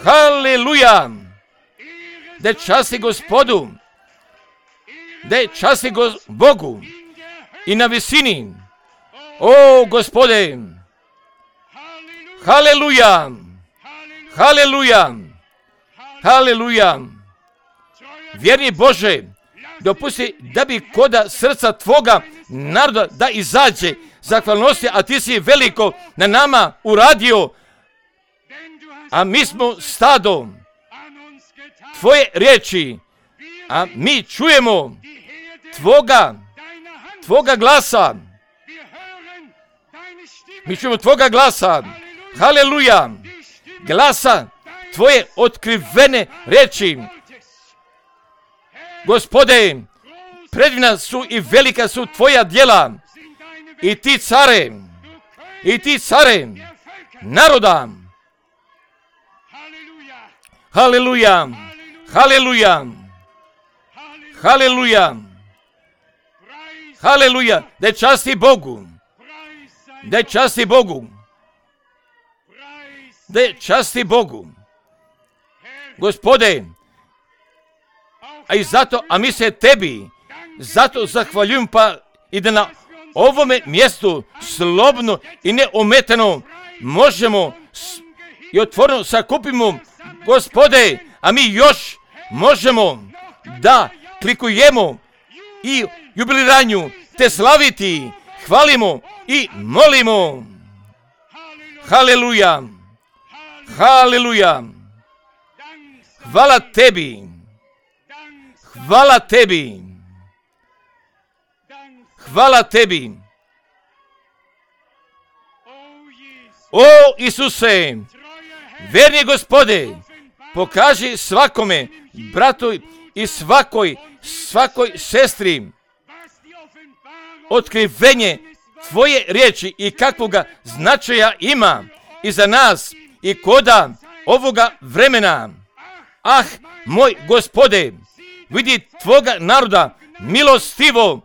Haleluja, da časti Gospodu, da časti go, Bogu i na visini. O Gospode, haleluja, haleluja, haleluja. Vjerni Bože, dopusti da bi koda srca tvoga naroda da izađe zahvalnosti, a ti si veliko na nama uradio, a mi smo stado tvoje riječi, a mi čujemo tvoga, tvoga glasa. Mi čujemo tvoga glasa, haleluja, glasa tvoje otkrivene riječi. Gospode, predivna su i velika su tvoja djela, i ti care, i ti care naroda. Haleluja, haleluja, haleluja, haleluja, da časti Bogu, da časti Bogu, da časti Bogu. Gospode, a i zato, a mi se tebi zato zahvaljujem, pa i da na ovome mjestu slobodno i neometano možemo s, i otvoreno sakupimo, Gospode, a mi još možemo da klikujemo i jubiliranju te slaviti, hvalimo i molimo. Haleluja, haleluja, hvala tebi, hvala tebi, hvala tebi. O Isuse, verni Gospode, pokaži svakome bratu i svakoj, svakoj sestri otkrivenje Tvoje riječi i kakvoga značaja ima i za nas i koda ovoga vremena. Ah, moj Gospode, vidi Tvoga naroda milostivo,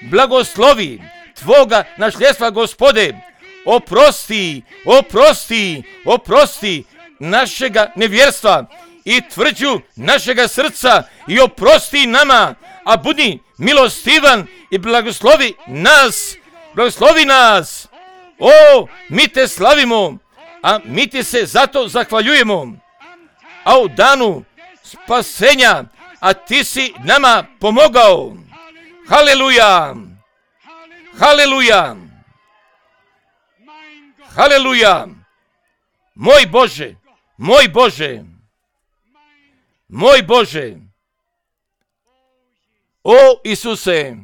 blagoslovi Tvoga nasljedstva, Gospode, oprosti, oprosti, oprosti našega nevjerstva i tvrđu našega srca i oprosti nama, a budi milostivan i blagoslovi nas, blagoslovi nas. O, mi te slavimo, a mi ti se zato zahvaljujemo. A u danu spasenja, a ti si nama pomogao. Haleluja, haleluja, haleluja. Moj Bože, moj Bože, moj Bože. O Isuse,